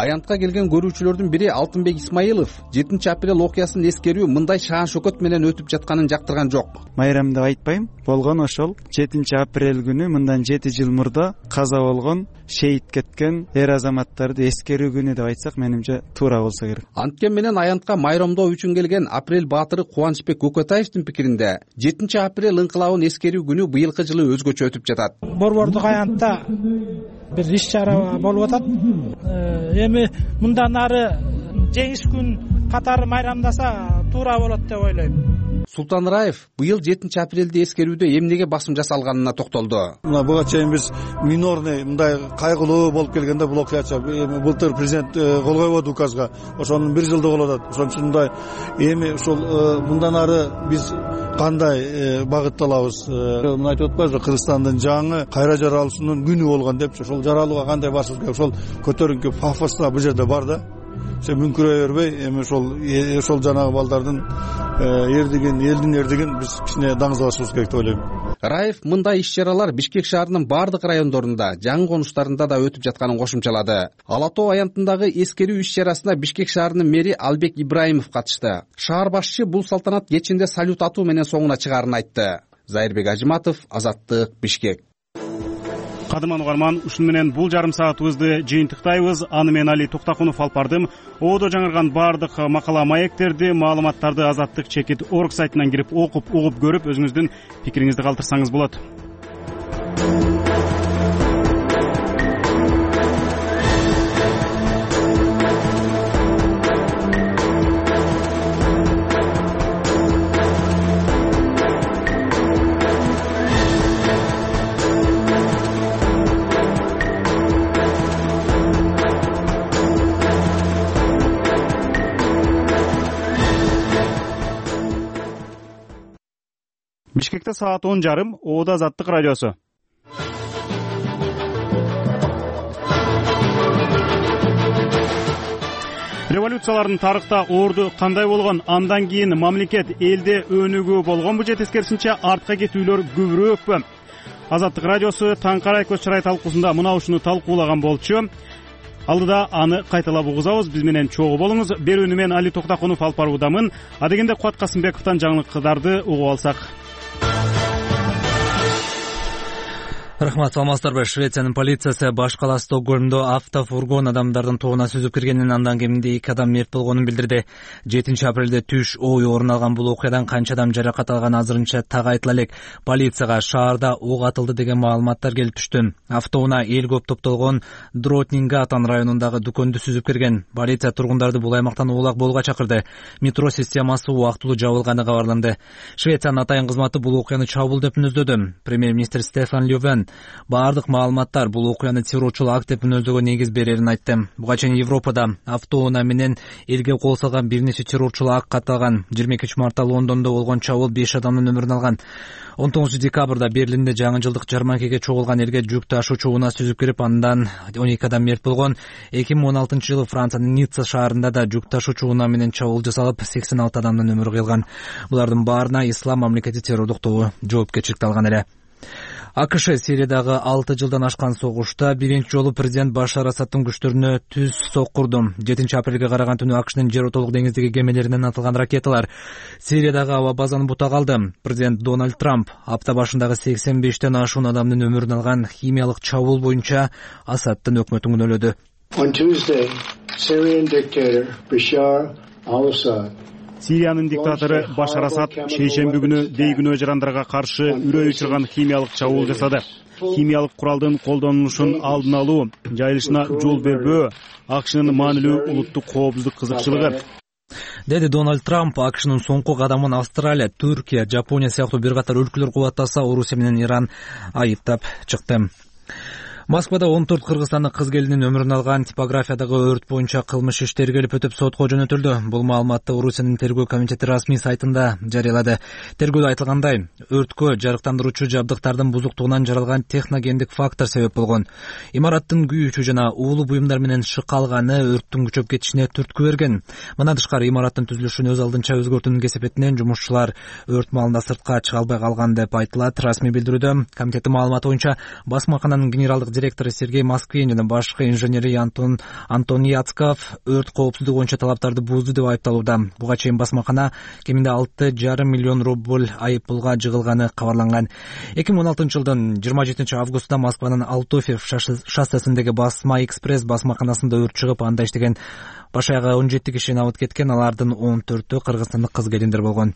Аянтка келген көрүүчүлөрдүн бири Алтынбек Исмаилов 7 апрель окуясын эскерүү мындай шаан шөкөт менен өтүп жатканын жактырган жок.
Майрам деп айтпайм, болгон ошол 7 апрель күнү мындан 7 жыл мурда каза болгон, шейит кеткен эр азаматтарды эскерүү күнү деп айтсак, менимче туура болсо керек.
Анткени менен аянтка майрамдоо үчүн келген апрель баатыры Кубанычбек Көкөтаевдин пикиринде 7 апрель инкылабын эскерүү күнү быйылкы жылы өзгөчө өтүп жатат.
Борбордук аянтта бир иш-чара болуп атат. Эми мындан ары жеңиш күн катары майрамдаса туура болот деп ойлойм.
Султан Раев быйыл 7 апрелди эскерүүдө эмнеге басым жасалганына токтолду.
Мына буга чейин биз минорный мындай кайгылуу болуп келгенде бул окуяча былтыр президент кол койбоду указга. Ошонун 1 жылдыгы болуп атат. Ошон үчүн мындай эми ушул мындан ары биз кандай багытталабыз? Мына айтып атпайбызбы, Кыргызстандын жаңы кайра жаралышынын күнү болгон депчи. Ошол жаралууга кандай барышыбыз керек? Ошол көтөрүнкү пафосуна бул жерде бар да. Мүнкүрөй бербей, эми ошол жанагы балдардын эрдигин, элдин эрдигин биз кичине даңызлашыбыз керек деп ойлойм.
Раев мындай иш-чаралар Бишкек шаарынын бардык райондорунда, жаңы конуштарында да өтүп жатканын кошумчалады. Ала Тоо аянтындагы эскерүү иш-чарасына Бишкек шаарынын мэри Албек Ибраимов катышты. Шаар башчы бул салтанат кечинде салют атуу менен соңуна чыгаарын айтты. Зайырбек Ажыматов, Азаттык, Бишкек.
Кадырман угарман, ушун менен бул жарым саатыбызды жыйынтыктайбыз. Аны мен Али Токтакунов алып бардым. Оодо жаңырган бардык макала маектерди, маалыматтарды Азаттык-org сайтынан кирип окуп, угуп көрүп, өзүңүздүн пикириңизди калтырсаңыз болот. Бишкекте саат 10:30. Оода Азаттык радиосу. Революциялардын тарыхта орду кандай болгон, андан кийин мамлекет элде өнүгүү болгонбу же тескерисинче артка кетүүлөр көбүрөөкпү? Азаттык радиосу таң карай көз чырай талкуусунда мына ушуну талкуулаган болчу. Алдыда аны кайталап угузабыз. Биз менен чогуу болуңуз. Берүүнү мен Али Токтакунов алып баруудамын. Адегенде Кубат Касымбековдон жаңылыктарды угуп алсак.
Рахмат, саламатсыздарбы? Швециянын полициясы баш кала Стокгольмдо автофургон адамдардын тобуна сүзүп киргенин, андан кеминде 2 адам мерт болгонун билдирди. 7 апрелде түш ой орун алган бул окуядан канча адам жаракат алган азырынча так айтыла элек. Полицияга шаарда ок атылды деген маалыматтар келип түштү. Автоунаа эл көп топтолгон Дротнингатан районундагы дүкөндү сүзүп кирген. Полиция тургундарды бул аймактан улак болууга чакырды. Метро системасы убактылуу жабылганы кабарланды. Швециянын атайын кызматы бул окуяны чабуул деп мүнөздөдү. Премьер-министр Стефан Лёвен баардык маалыматтар бул окуяны террорчулук акт деп мүнөздөгөн негиз берерин айтты. Буга чейин Европада автоунаа менен элге кол салган бир нече террорчулук акт катталган. 22 мартта Лондондо болгон чабуул 5 адамдын өмүрүн алган. 19 декабрда Берлинде жаңы жылдык жарманкеге чогулган элге жүк ташуучу унаа сүзүп кирип, андан 12 адам мерт болгон. 2016-жылы Франциянын Ницца шаарында да жүк ташуучу унаа менен чабуул жасалып, 86 адамдын өмүрү кыйылган. Булардын баарына Ислам мамлекети террордук тобу жоопкерчиликти алган эле. АКШ Сириядагы 6 жылдан ашкан согушта биринчи жолу президент Башар Асадтын күчтөрүнө түз соккурду. 7 апрелге караган түнү АКШнын жер отолук деңиздеги кемелеринен атылган ракеталар Сириядагы аба базаны бутак алды. Президент Дональд Трамп апта башындагы 85тен ашуун адамдын өмүрүн алган химиялык чабуул боюнча Асадтын өкмөтүн күнөөлөдү.
On Tuesday, Syrian dictator Bashar al-Assad
Сириянын диктатору Башар Асад шейшемби күнү бейгүнөө жарандарга каршы үрөй учурган химиялык чабуул жасады. Химиялык куралдын колдонулушун алдын алуу, жайылышына жол бербөө АКШнын маанилүү улуттук коопсуздук кызыкчылыгы, деди Дональд Трамп. АКШнын соңку кадамын Австралия, Түркия, Жапония сыяктуу бир катар өлкөлөр кубаттаса, Орусия менен Иран айыптап чыкты. Москвада 14 кыргызстандык кыз келинин өмүрүн алган типографиядагы өрт боюнча кылмыш иш тергелип өтүп сотко жөнөтүлдү. Бул маалыматты Орусиянын тергөө комитети расмий сайтында жарыялады. Тергөөдө айтылгандай, өрткө жарыктандыруучу жабдыктардын бузуктугунан жаралган техногендик фактор себеп болгон. Имараттын күйүүчү жана уулуу буюмдар менен шык алганы өрттүн күчөп кетишине түрткү берген. Мындан тышкары имараттын түзүлүшүн өз алдынча өзгөртүүнүн кесепетинен жумушчулар өрт маалында сыртка чыга албай калган деп айтылат расмий билдирүүдө. Комитеттин маалыматы боюнча басмакананын генералдык директору Сергей Москвин жана башкы инженери Антон Яцков өрт коопсуздугу боюнча талаптарды бузду деп айыпталууда. Буга чейин басмакана кеминде 6,5 миллион рубль айып пулга жыгылганы кабарланган. 2016-жылдын 27 августунда Москванын Алтофьев шоссесиндеги Басма экспресс басмаканасында өрт чыгып, анда иштеген баш аягы 17 киши абыт кеткен. Алардын 14-ө кыргызстандык кыз келиндер болгон.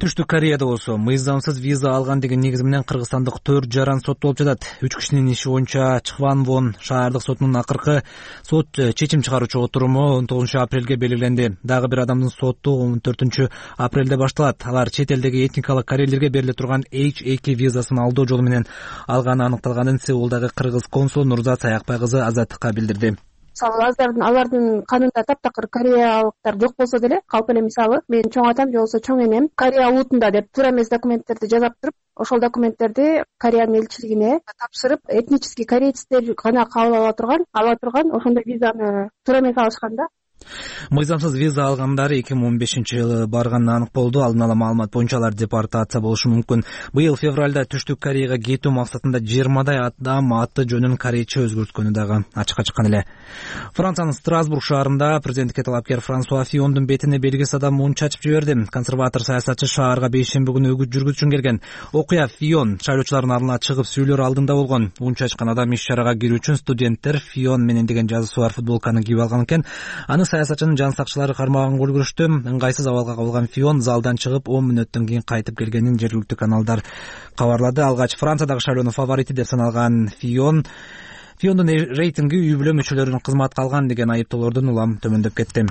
Түштүк Кореяда болсо мыйзамсыз виза алган деген негиз менен кыргызстандык 4 жаран соттолуп жатат. 3 кишинин иши боюнча Чхванвон шаардык сотунун акыркы сот чечим чыгаруучу отуруму 19 апрелге белгиленди. Дагы бир адамдын соту 14 апрелде башталат. Алар чет элдеги этникалык корейлерге бериле турган H2 визасын алдоо жолу менен алганы аныкталганын Сеулдагы кыргыз консул Нурзат Саякбай кызы Азаттыкка билдирди.
Мисалы алардын канында таптакыр кореялыктар жок болсо деле, калп эле мисалы менин чоң атам же болбосо чоң энем Корея улутунда деп туура эмес документтерди жазап туруп, ошол документтерди Кореянын элчилигине тапшырып, этнический корейцтер гана кабыл ала турган ошондой визаны туура эмес алышкан да.
Мыйзамсыз виза алгандары 2015-жылы барганы анык болду. Алдын ала маалымат боюнча алар депортация болушу мүмкүн. Быйыл февралда Түштүк Кореяга кетүү максатында 20 адам аты жөнүн корейче өзгөрткөнү дагы ачыкка чыккан эле. Франциянын Страсбург шаарында президенттикке талапкер Франсуа Фиондун бетине белгисиз адам мун чачып жиберди. Консерватор саясатчы шаарга бейшемби күнү үгүт жүргүзүш үчүн келген. Окуя Фион шайлоочулардын алдына чыгып сүйлөр алдында болгон. Мун чачкан адам иш чарага кирүү үчүн студенттер Фион менен деген жазуусу бар футболканы кийип алган экен. Аны саясатчынын жан сакчылары кармаган көргүзүштү. Ыңгайсыз абалга кабылган Фион залдан чыгып 10 мүнөттөн кийин кайтып келгенин жергиликтүү каналдар кабарлады. Алгач Франциядагы шайлоонун фаворити деп саналган Фиондун рейтинги үй бүлө мүчөлөрүнүн кызматка алган деген айыптоолордон улам төмөндөп кетти.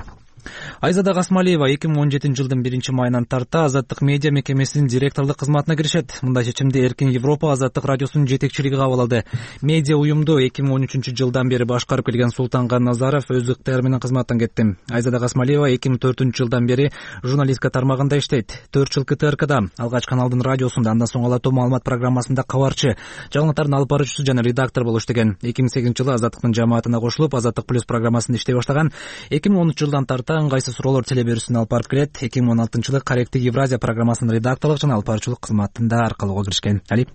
Айзада Касмалиева 2017-жылдын 1-майынан тарта Азаттык медиа мекемесинин директорлук кызматына киришет. Мындай чечимди Эркин Европа Азаттык радиосунун жетекчилиги кабыл алды. Медиа уюмду 2013-жылдан бери башкарып келген Султанган Назаров өз ыктыяры менен кызматтан кетти. Айзада Касмалиева 2004-жылдан бери журналистика тармагында иштейт. 4 жыл КТРКда, Алгач каналдын радиосунда, андан соң Ала Тоо маалымат программасында кабарчы, жаңылыктардын алып баруучусу жана редактор болуп иштеген. 2008-жылы Азаттыктын жамаатына кошулуп, Азаттык плюс программасында иштей баштаган. 2013-жылдан тарта ыңгайсыз суроолор теле берүүсүн алып барып келет. 2016-жылы Корректик Евразия программасынын редакторлук жана алып баруучулук кызматында аркалоого киришкен. Али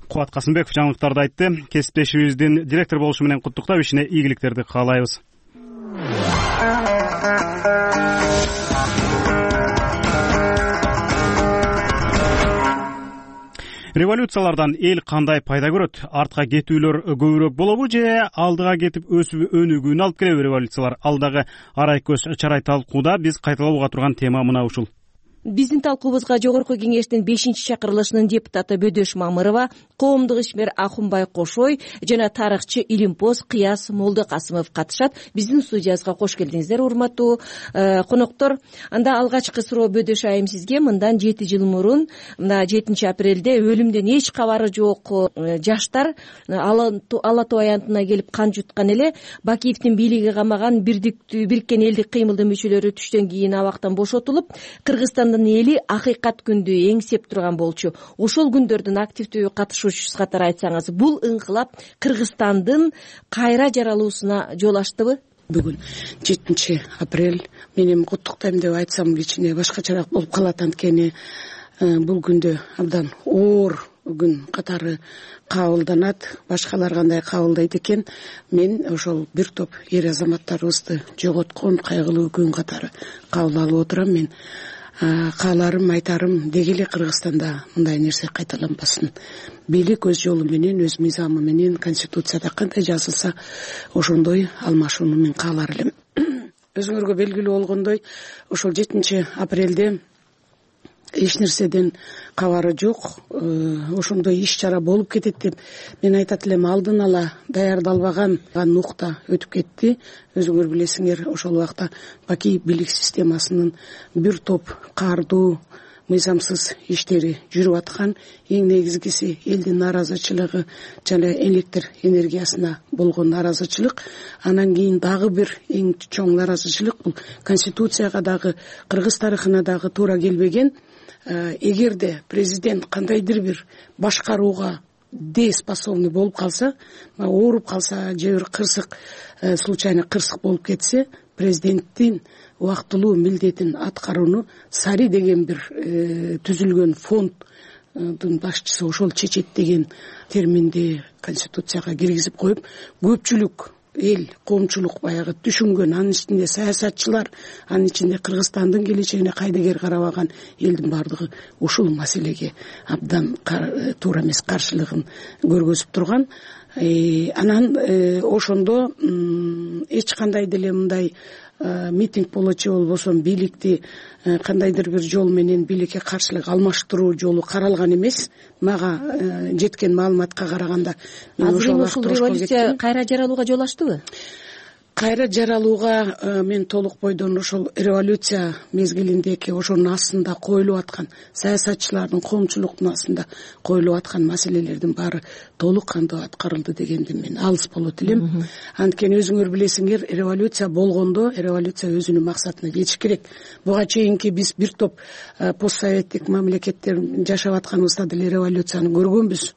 Кубат Касымбеков жаңылыктарды айтты. Кесиптешибиздин директор болушу менен куттуктап, ишине ийгиликтерди каалайбыз. Революциялардан эл кандай пайда көрөт? Артка кетүүлөр көбүрөөк болобу же алдыга кетип өсүп өнүгүүнү алып келеби революциялар? Алдагы арай көз чарай талкууда биз кайталабууга турган тема мына ушул.
Биздин талкуубузга Жогорку Кеңештин 5-чакырылышынын депутаты Бөдөш Мамырова, коомдук ишмер Акунбай Кошой жана тарыхчы Илимпоз Кыяс Молдокасымов катышат. Биздин студиябызга кош келдиңиздер, урматтуу коноктор. Анда алгачкы суроо Бөдөш айым сизге. Мындан 7 жыл мурун, мына 7-апрелде өлүмдөн эч кабары жок жаштар Ала Тоо аянтына келип кан жуткан эле. Бакиевдин бийлиги камаган Бириккен элдик кыймылдын мүчөлөрү түштөн кийин абактан бошотулуп, Кыргызстандын эли акыйкат күндү эңсеп турган болчу. Ошол күндөрдүн активдүү катышуучусу катары айтсаңыз, бул ыңкылап Кыргызстандын кайра жаралуусуна жол ачтыбы?
Бүгүн 7-апрель менин куттуктайм деп айтсам кичине башкачараак болуп калат. Анткени бул күндө абдан оор күн катары кабылданат. Башкалар кандай кабылдайт экен, мен ошол бир топ эр азаматтарыбызды жоготкон кайгылуу күн катары кабыл алып отурам. Мен кааларым, айтарым, деги эле Кыргызстанда мындай нерсе кайталанбасын. Бийлик өз жолу менен, өз мыйзамы менен, конституцияда кандай жазылса ошондой алмашууну мен каалар элем. Өзүңөргө белгилүү болгондой, ошол 7-апрелде эч нерседен кабары жок, ошондой иш чара болуп кетет деп мен айтат элем. Алдын ала даярдалбаган нукта өтүп кетти. Өзүңөр билесиңер, ошол убакта Бакиев бийлик системасынын бир топ каардуу, мыйзамсыз иштери жүрүп аткан. Эң негизгиси элдин нааразычылыгы жана электр энергиясына болгон нааразычылык. Анан кийин дагы бир эң чоң нааразычылык бул конституцияга дагы, кыргыз тарыхына дагы туура келбеген. Эгерде президент кандайдыр бир башкарууга дееспособный болуп калса, ооруп калса же бир кырсык, случайно кырсык болуп кетсе, президенттин убактылуу милдетин аткарууну Сари деген бир түзүлгөн фонддун башчысы ошол чечет деген терминди конституцияга киргизип коюп, көпчүлүк эл, коомчулук баягы түшүнгөн, анын ичинде саясатчылар, анын ичинде Кыргызстандын келечегине кайдыгер карабаган элдин бардыгы ушул маселеге абдан туура эмес каршылыгын көргөзүп турган. Анан ошондо эч кандай деле мындай митинг болочу болбосо бийликти кандайдыр бир жол менен бийликке каршылык алмаштыруу жолу каралган эмес. Мага жеткен маалыматка караганда
ошол революция кайра жаралууга жол ачтыбы?
Кайра жаралууга мен толук бойдон ошол революция мезгилиндеги ошонун астында коюлуп аткан, саясатчылардын, коомчулуктун астында коюлуп аткан маселелердин баары толук кандуу аткарылды дегенди мен алыс болот элем. Анткени өзүңөр билесиңер, революция болгондо революция өзүнүн максатына жетиш керек. Буга чейинки биз бир топ постсоветтик мамлекеттер жашап атканыбызда деле революцияны көргөнбүз.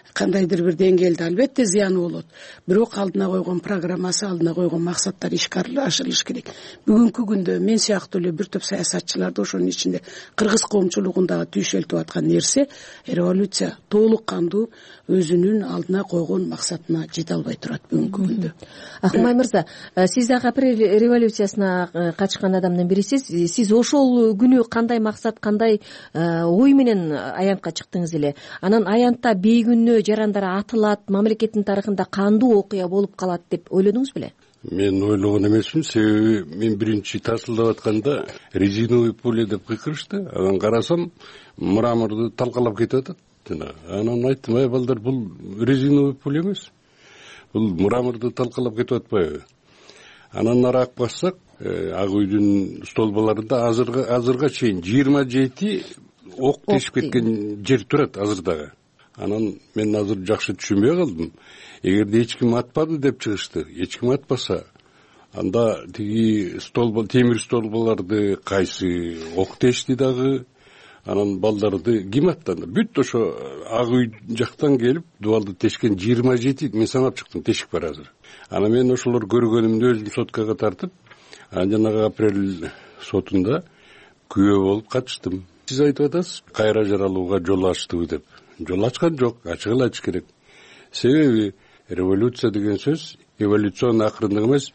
Кандайдыр бир деңгээлде албетте зыяны болот. Бирок алдына койгон программасы, алдына койгон максаттар ишке ашырылыш керек. Бүгүнкү күндө мен сыяктуу эле бир топ саясатчыларды, ошонун ичинде кыргыз коомчулугундагы түйшөлтүп аткан нерсе, революция толук кандуу өзүнүн алдына койгон максатына жете албай турат бүгүнкү күндө.
Акунбай мырза, сиз дагы апрель революциясына катышкан адамдын бирисиз. Сиз ошол күнү кандай максат, кандай ой менен аянтка чыктыңыз эле? Анан аянтта бейгүнөө жарандар атылат, мамлекеттин тарыхында кандуу окуя болуп калат деп ойлодуңуз беле?
Мен ойлогон эмесмин, себеби мен биринчи тасылдап атканда резиновый пуля деп кыйкырышты. Анан карасам, мраморду талкалап кетип атат. Анан айттым, ай балдар, бул резиновый пуля эмес. Бул мраморду талкалап кетип атпайбы? Анан нарак бассак, Ак үйдүн столбаларында азырга чейин 27 ок тешип кеткен жер турат азыр дагы. Анан мен азыр жакшы түшүнбөй калдым. Эгерде эч ким атпады деп чыгышты, эч ким атпаса, анда тиги темир столбаларды кайсы ок тешти дагы, анан балдарды ким аттанды? Бүт ошо Ак үй жактан келип дубалды тешкен 27, мен санап чыктым, тешик бар азыр. Анан мен ошолор көргөнүмдү өзүм соткага тартып, жанагы апрель сотунда күбө болуп катыштым. Сиз айтып атасыз, кайра жаралууга жол ачтыбы деп. Жол ачкан жок, ачык эле ачыш керек. Себеби революция деген сөз эволюциянын акырындыгы эмес,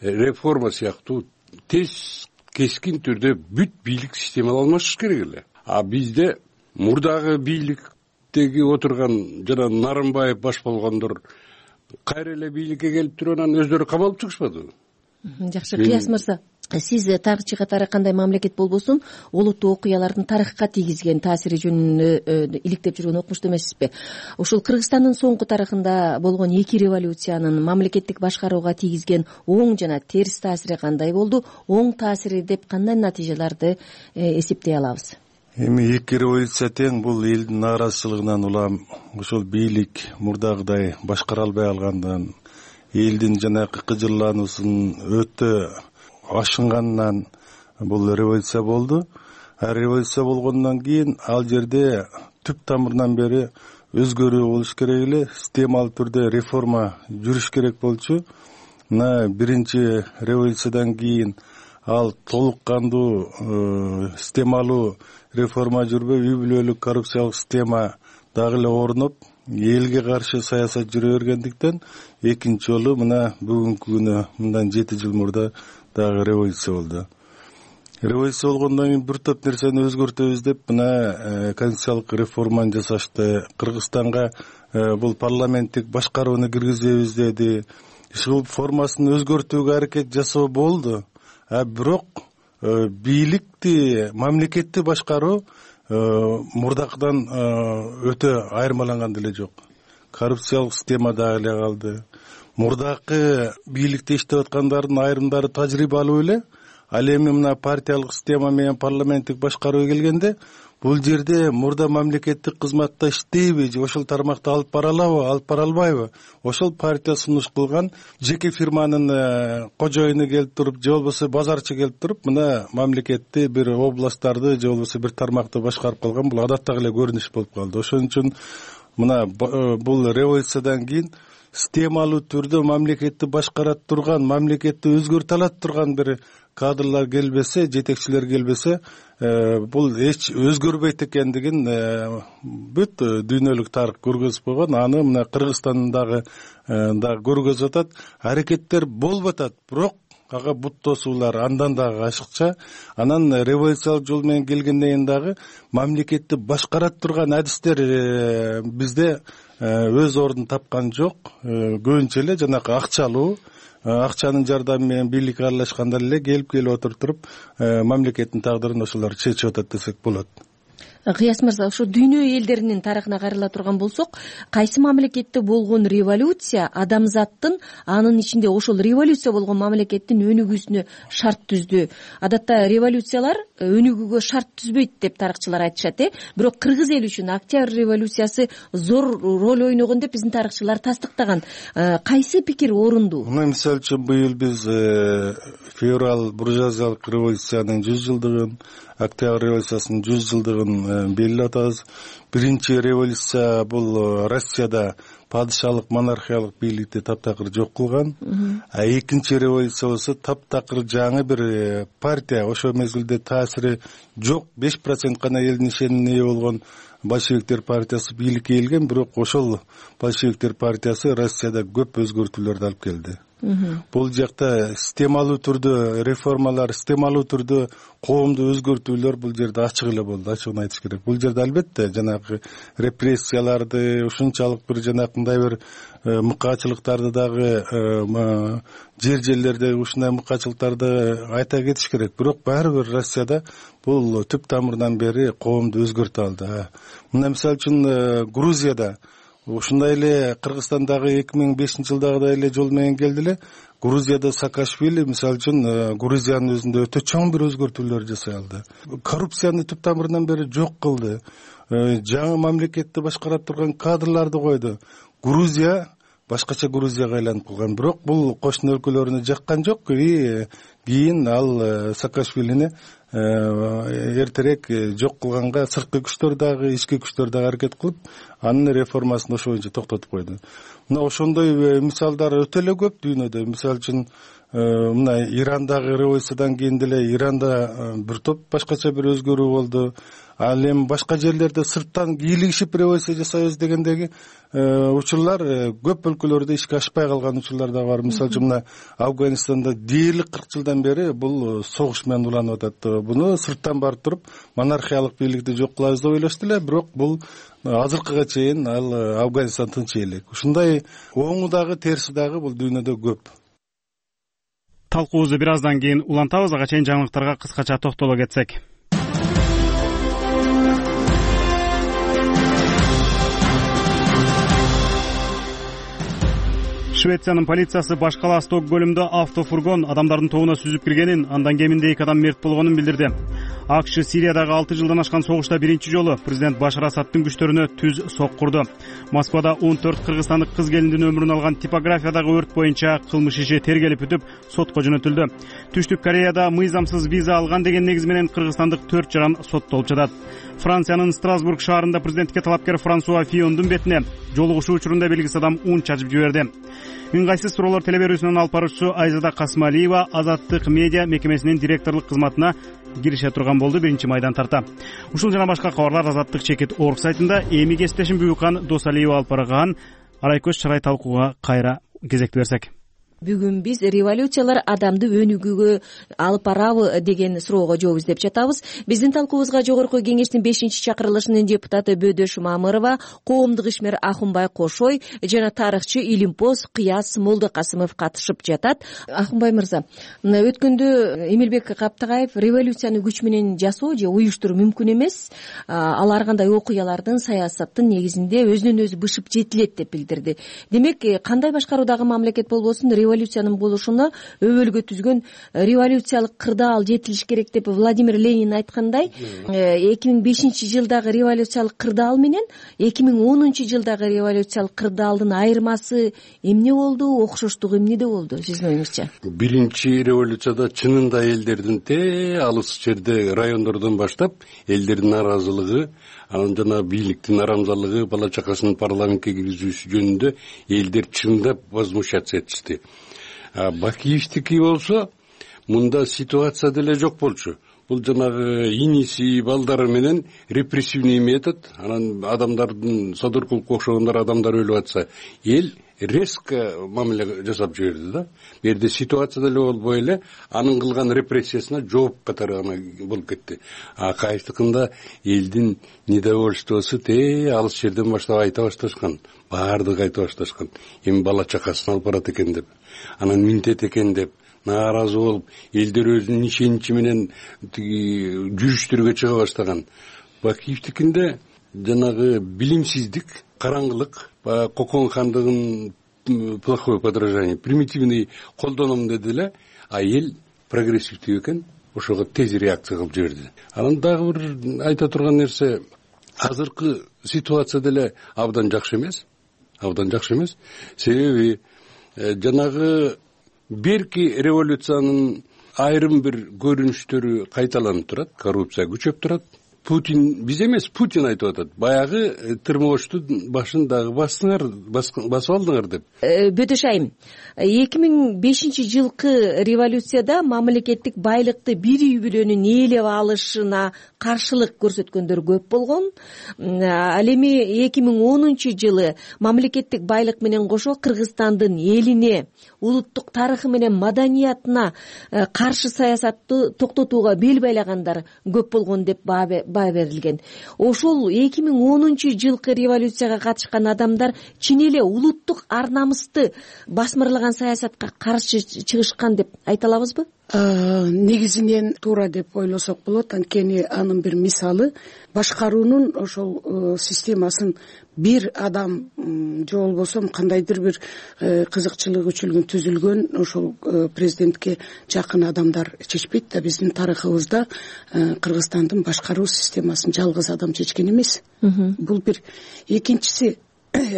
реформа сыяктуу тез кескин түрдө бүт бийлик системалар алмашыш керек эле. А бизде мурдагы бийликтеги отурган жана Нарымбаев баш болгондор кайра эле бийликке келип туруп анан өздөрү камалып чыгышпадыбы?
Жакшы, Кыяс мырза, сиз тарыхчы катары кандай мамлекет болбосун олуттуу окуялардын тарыхка тийгизген таасири жөнүндө иликтеп жүргөн окумуштуу эмессизби? Ушул Кыргызстандын соңку тарыхында болгон эки революциянын мамлекеттик башкарууга тийгизген оң жана терс таасири кандай болду? Оң таасири деп кандай натыйжаларды эсептей алабыз?
Эми эки революция тең, бул элдин нааразычылыгынан улам, ошол бийлик мурдагыдай башкара албай калгандан, элдин жанагы кыжырлануусунун өтө ашынганынан бул революция болду. Революция болгондон кийин ал жерде түп тамырынан бери өзгөрүү болуш керек эле, системалуу түрдө реформа жүрүш керек болчу. Мына биринчи революциядан кийин ал толук кандуу системалуу реформа жүрбөй, үй бүлөлүк коррупциялык система дагы эле орноп, элге каршы саясат жүрө бергендиктен экинчи жолу мына бүгүнкү күнү мындан 7 жыл мурда дагы революция болду. Революция болгондон кийин бир топ нерсени өзгөртөбүз деп мына конституциялык реформаны жасашты. Кыргызстанга бул парламенттик башкарууну киргизебиз деди. Ушул формасын өзгөртүүгө аракет жасоо болду. Бирок бийликти, мамлекетти башкаруу мурдакыдан өтө айырмаланган деле жок. Коррупциялык система дагы эле калды. Мурдакы бийликте иштеп аткандардын айрымдары тажрыйбалуу эле. Ал эми мына партиялык система менен парламенттик башкарууга келгенде бул жерде мурда мамлекеттик кызматта иштейби же ошол тармакта алып бара алабы, алып бара албайбы? Ошол партия сунуш кылган жеке фирманын кожоюну келип туруп, же болбосо базарчы келип туруп, мына мамлекетти бир областтарды же болбосо бир тармакты башкарып калган, бул адаттагы эле көрүнүш болуп калды. Ошон үчүн мына бул революциядан кийин системалуу түрдө мамлекетти башкара турган, мамлекетти өзгөртө алат турган бир кадрлар келбесе, жетекчилер келбесе, бул эч өзгөрбөйт экендигин бүт дүйнөлүк тарых көргөзүп койгон. Аны мына Кыргызстандагы көргөзүп атат. Аракеттер болуп атат, бирок ага бут тосуулар андан дагы ашыкча. Анан революциялык жол менен келгенден кийин дагы мамлекетти башкара турган адистер бизде өз ордун тапкан жок. Көбүнчө эле жанагы акчалуу, акчанын жардамы менен бийликке аралашкандар эле келип отуруп мамлекеттин тагдырын ошолор чечип атат десек болот.
Кыяс мырза, ошо дүйнө элдеринин тарыхына кайрыла турган болсок, кайсы мамлекетте болгон революция адамзаттын, анын ичинде ошол революция болгон мамлекеттин өнүгүүсүнө шарт түздү? Адатта революциялар өнүгүүгө шарт түзбөйт деп тарыхчылар айтышат, бирок кыргыз эли үчүн Октябрь революциясы зор роль ойногон деп биздин тарыхчылар тастыктаган. Кайсы пикир орундуу?
Мисалы үчүн быйыл биз февраль буржуазиялык революциянын 100 жылдыгын, Октябрь революциясынын 100 жылдыгын белгилеп атабыз. Биринчи революция бул Россияда падышалык, монархиялык бийликти таптакыр жок кылган. Экинчи революция болсо таптакыр жаңы бир партия, ошол мезгилде таасири жок, 5% гана элдин ишенимине ээ болгон большевиктер партиясы бийликке келген, бирок ошол большевиктер партиясы Россияда көп өзгөртүүлөрдү алып келди. Бул жакта системалуу түрдө реформалар, системалуу түрдө коомду өзгөртүүлөр бул жерде ачык эле болду, ачыгын айтыш керек. Бул жерде албетте жанагы репрессияларды, ушунчалык бир жанакындай бир мыкаачылыктарды дагы жерлерде ушундай мыкаачылыктарды айта кетиш керек. Бирок баары бир Россияда бул түп тамырынан бери коомду өзгөртө алды. Мына мисалы үчүн Грузияда ушундай эле Кыргызстандагы 2005-жылдагыдай эле жол менен келди эле. Грузияда Саакашвили мисалы үчүн Грузиянын өзүндө өтө чоң бир өзгөртүүлөр жасай алды. Коррупцияны түп тамырынан бери жок кылды. Жаңы мамлекетти башкара турган кадрларды койду. Грузия башкача Грузияга айланып калган. Бирок бул кошуна өлкөлөрүнө жаккан жок. Кийин ал Саакашвилини эртерээк жок кылганга сырткы күчтөр дагы, ички күчтөр дагы аракет кылып, анын реформасын ошо боюнча токтотуп койду. Мына ошондой мисалдар өтө эле көп дүйнөдө. Мисалы үчүн мына Ирандагы революциядан кийин деле Иранда бир топ башкача бир өзгөрүү болду. Ал эми башка жерлерде сырттан кийлигишип революция жасайбыз дегендеги учурлар көп өлкөлөрдө ишке ашпай калган учурлар да бар. Мисалы үчүн мына Афганистанда дээрлик 40 жылдан бери бул согуш менен уланып атат. Буну сырттан барып туруп монархиялык бийликти жок кылабыз деп ойлошту эле, бирок бул азыркыга чейин ал Афганистан тынч элек. Ушундай оңу дагы терси дагы бул дүйнөдө көп.
Талкуубузду бир аздан кийин улантабыз. Ага чейин жаңылыктарга кыскача токтоло кетсек. Швециянын полициясы баш кала Стокгольмдо автофургон адамдардын тобуна сүзүп киргенин, андан кеминде 2 адам мерт болгонун билдирди. АКШ Сириядагы 6 жылдан ашкан согушта биринчи жолу президент Башар Асадтын күчтөрүнө түз соккурду. Москвада 14 кыргызстандык кыз келиндин өмүрүн алган типографиядагы өрт боюнча кылмыш иши тергелип бүтүп, сотко жөнөтүлдү. Түштүк Кореяда мыйзамсыз виза алган деген негиз менен кыргызстандык 4 жаран соттолуп жатат. Франциянын Страсбург шаарында президентке талапкер Франсуа Фиондун бетине жолугушуу учурунда белгисиз адам ун чачып жиберди. Ыңгайсыз суроолор телеберүүсүнүн алып баруучусу Айзада Касмалиева Азаттык медиа мекемесинин директорлук кызматына кирише турган болду 1 тарта. Ушул жана башка кабарлар Азаттык.org сайтында. Эми кесиптешим Бүгүкан Досалиева алып барган Арайкөз Чарай талкууга кайра кезекти берсек.
Бүгүн биз революциялар адамды өнүгүүгө алып барабы деген суроого жооп издеп жатабыз. Биздин талкуубузга жогорку кеңештин 5-чакырылышынын депутаты Бөдөш Мамырова, коомдук ишмер Ахунбай Кошой жана тарыхчы Илимпоз Кыяс Молдокасымов катышып жатат. Ахунбай мырза, өткөндө Эмилбек Каптагаев революцияны күч менен жасоо же уюштуруу мүмкүн эмес, ал ар кандай окуялардын, саясаттын негизинде өзүнөн өзү бышып жетилет деп билдирди. Демек, кандай башкаруудагы мамлекет болбосун революциянын болушуна өбөлгө түзгөн революциялык кырдаал жетилиш керек деп Владимир Ленин айткандай, 2005-жылдагы революциялык кырдаал менен 2010-жылдагы революциялык кырдаалдын айырмасы эмне болду, окшоштугу эмнеде болду сиздин оюңузча?
Биринчи революцияда чынында элдердин алыс жерде райондордон баштап элдердин нааразылыгы, анан жана бийликтин арамзалыгы, бала чакасынын парламентке киргизүүсү жөнүндө элдер чындап возмущаться этишти. Бакиевдики болсо мында ситуация деле жок болчу. Бул жанагы иниси балдары менен репрессивный метод, анан адамдардын Садыркуловго окшогондор адамдар өлүп атса, эл резко мамиле жасап жиберди да. Бу жерде ситуация деле болбой эле анын кылган репрессиясына жооп катары гана болуп кетти. Акаевдикында элдин недовольствосу алыс жерден баштап айта башташкан, баардыгы айта башташкан. Эми бала чакасын алып барат экен деп, анан минтет экен деп нааразы болуп, элдер өзүнүн ишеничи менен жүрүштөргө чыга баштаган. Бакиевдикинде жанагы билимсиздик, караңгылык, Кокон хандыгын плохое подражание, примитивный колдоном деди эле, а эл прогрессивдүү экен, ошого тез реакция кылып жиберди. Анан дагы бир айта турган нерсе, азыркы ситуация деле абдан жакшы эмес. Себеби жанагы берки революциянын айрым бир көрүнүштөрү кайталанып турат, коррупция күчөп турат. Путин, биз эмес, Путин айтып атат. Баягы тырмооштун башын дагы басып алдыңар деп.
Бөдөш айым, 2005-жылкы революцияда мамлекеттик байлыкты бир үй бүлөнүн ээлеп алышына каршылык көрсөткөндөр көп болгон. Ал эми 2010-жылы мамлекеттик байлык менен кошо Кыргызстандын элине, улуттук тарыхы менен маданиятына каршы саясатты токтотууга бел байлагандар көп болгон деп баа берилген. Ошол 2010-жылкы революцияга катышкан адамдар чын эле улуттук ар намысты басмырлаган саясатка каршы чыгышкан деп айта алабызбы?
негизинен туура деп ойлосок болот. Анткени анын бир мисалы башкаруунун ошол системасын бир адам же болбосо кандайдыр бир кызыкчылык үчүн түзүлгөн ошол президентке жакын адамдар чечпейт да. Биздин тарыхыбызда Кыргызстандын башкаруу системасын жалгыз адам чечкен эмес. Бул бир. Экинчиси,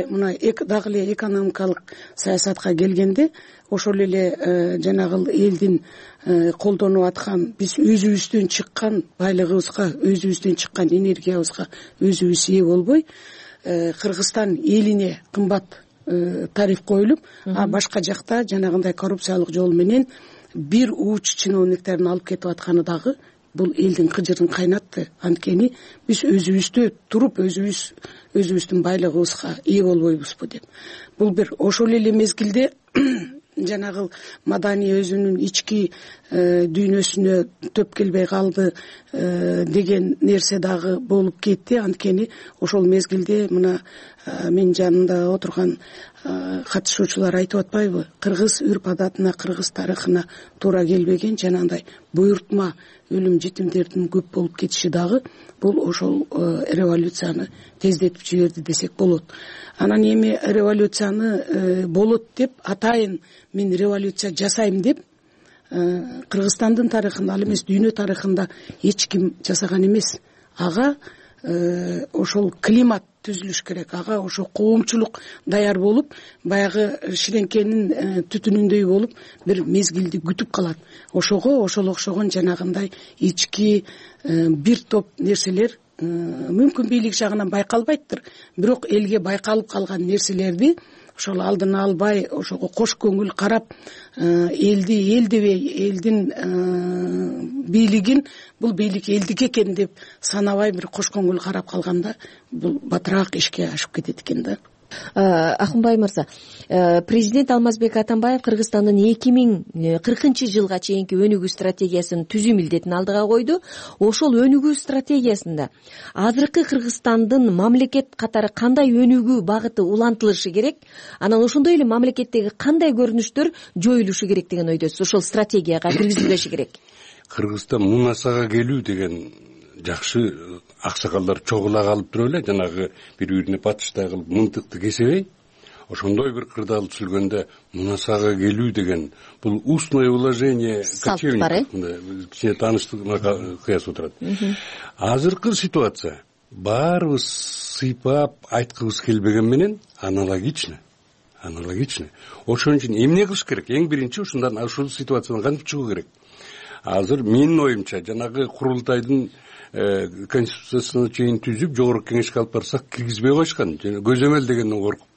мына дагы эле экономикалык саясатка келгенде ошол эле жанагы элдин колдонуп аткан, биз өзүбүздөн чыккан байлыгыбызга, өзүбүздөн чыккан энергиябызга өзүбүз ээ болбой, Кыргызстан элине кымбат тариф коюлуп, а башка жакта жанагындай коррупциялык жол менен бир уч чиновниктерин алып кетип атканы дагы бул элдин кыжырын кайнатты. Анткени биз өзүбүздө туруп, өзүбүздүн байлыгыбызга ээ болбойбузбу деп. Бул бир. Ошол эле мезгилде жанагы Мадани өзүнүн ички дүйнөсүнө төп келбей калды деген нерсе дагы болуп кетти. Анткени ошол мезгилде мына менин жанымда отурган катышуучулар айтып атпайбы? Кыргыз үрп адатына, кыргыз тарыхына туура келбеген жанагындай буйртма өлүм жетимдердин көп болуп кетиши дагы бул ошол революцияны тездетип жиберди десек болот. Анан эми революцияны болот деп атайын мен революция жасайм деп Кыргызстандын тарыхында, ал эмес дүйнө тарыхында эч ким жасаган эмес. Ага ошол климат түзүлүш керек. Ага ошо коомчулук даяр болуп, баягы ширеңкенин түтүнүндөй болуп бир мезгилди күтүп калат. Ошого ошол окшогон жанагындай ички бир топ нерселер мүмкүн бийлик жагынан байкалбайттыр, бирок элге байкалып калган нерселерди ошол алдын албай, ошого кош көңүл карап, эл дебей, элдин бийлигин бул бийлик элдики экен деп санабай бир кош көңүл карап калганда бул батыраак ишке ашып кетет экен да.
Акунбай мырза, президент Алмазбек Атамбаев Кыргызстандын 2040-жылга чейинки өнүгүү стратегиясын түзүү милдетин алдыга койду. Ошол өнүгүү стратегиясында азыркы Кыргызстандын мамлекет катары кандай өнүгүү багыты улантылышы керек? Анан ошондой эле мамлекеттеги кандай көрүнүштөр жоюлушу керек деген ойдосуз? Ошол стратегияга киргизилбеши керек.
Кыргызстан мунасага келүү деген жакшы аксакалдар чогула калып туруп эле жанагы бири-бирине батыштай кылып мынтыкты кесебей, ошондой бир кырдаал түзүлгөндө мунасага келүү деген бул устное уложение кочевников кичине тааныштыгына кыясып турат. Азыркы ситуация баарыбыз сыйпап айткыбыз келбеген менен аналогично. Ошон үчүн эмне кылыш керек? Эң биринчи ушул ситуациядан кантип чыгуу керек? Азыр менин оюмча жанагы курултайдын конституциясына чейин түзүп жогорку кеңешке алып барсак киргизбей коюшкан, көзөмөл дегенден коркуп.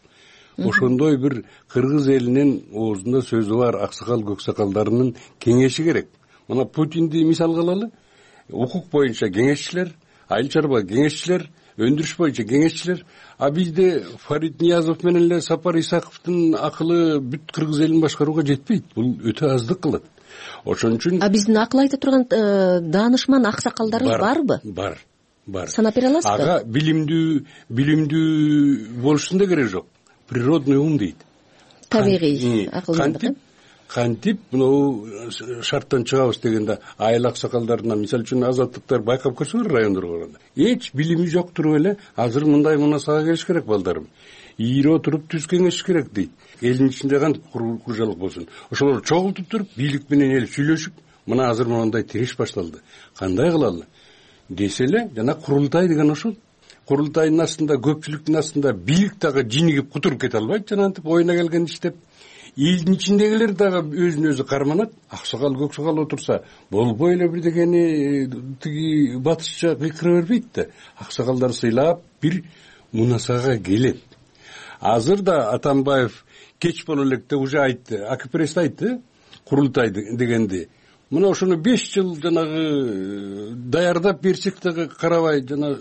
Ошондой бир кыргыз элинин оозунда сөзү бар аксакал көксакалдарынын кеңеши керек. Мына Путинди мисалга алалы. Укук боюнча кеңешчилер, айыл чарба кеңешчилер, өндүрүш боюнча кеңешчилер. А бизде Фарид Ниязов менен эле Сапар Исаковдун акылы бүт кыргыз элин башкарууга жетпейт. Бул өтө аздык кылат. Ошон үчүн
биздин акыл айта турган даанышман аксакалдарыбыз барбы?
Бар.
Санап бере аласызбы?
Ага билимдүү болушунун да кереги жок. Природный ум дейт.
Табигый акылдандык.
Кантип мынау шарттан чыгабыз дегенде айыл аксакалдарынан, мисалы үчүн азаттыктар байкап көрсөңөр райондорго барганда эч билими жок туруп эле азыр мындай мунасага келиш керек балдарым, ийире отуруп түз кеңешиш керек дейт. Элдин ичинде кантип куржалык болсун, ошолор чогултуп туруп бийлик менен эл сүйлөшүп, мына азыр мондай тириш башталды, кандай кылалы десе эле, жана курултай деген ошол. Курултайдын астында, көпчүлүктүн астында бийлик дагы жинигип кутуруп кете албайт, жанагынтип оюна келген иштеп. Элдин ичиндегилер дагы өзүн өзү карманат. Аксакал көксакал отурса болбой эле бирдегени тиги батышча кыйкыра бербейт да. Аксакалдар сыйлап бир мунасага келет. Азыр да Атамбаев кеч боло электе уже айтты, АКПРС айтты, курултай дегенди. Мына ошону 5 жыл жанагы даярдап берсек дагы карабай жана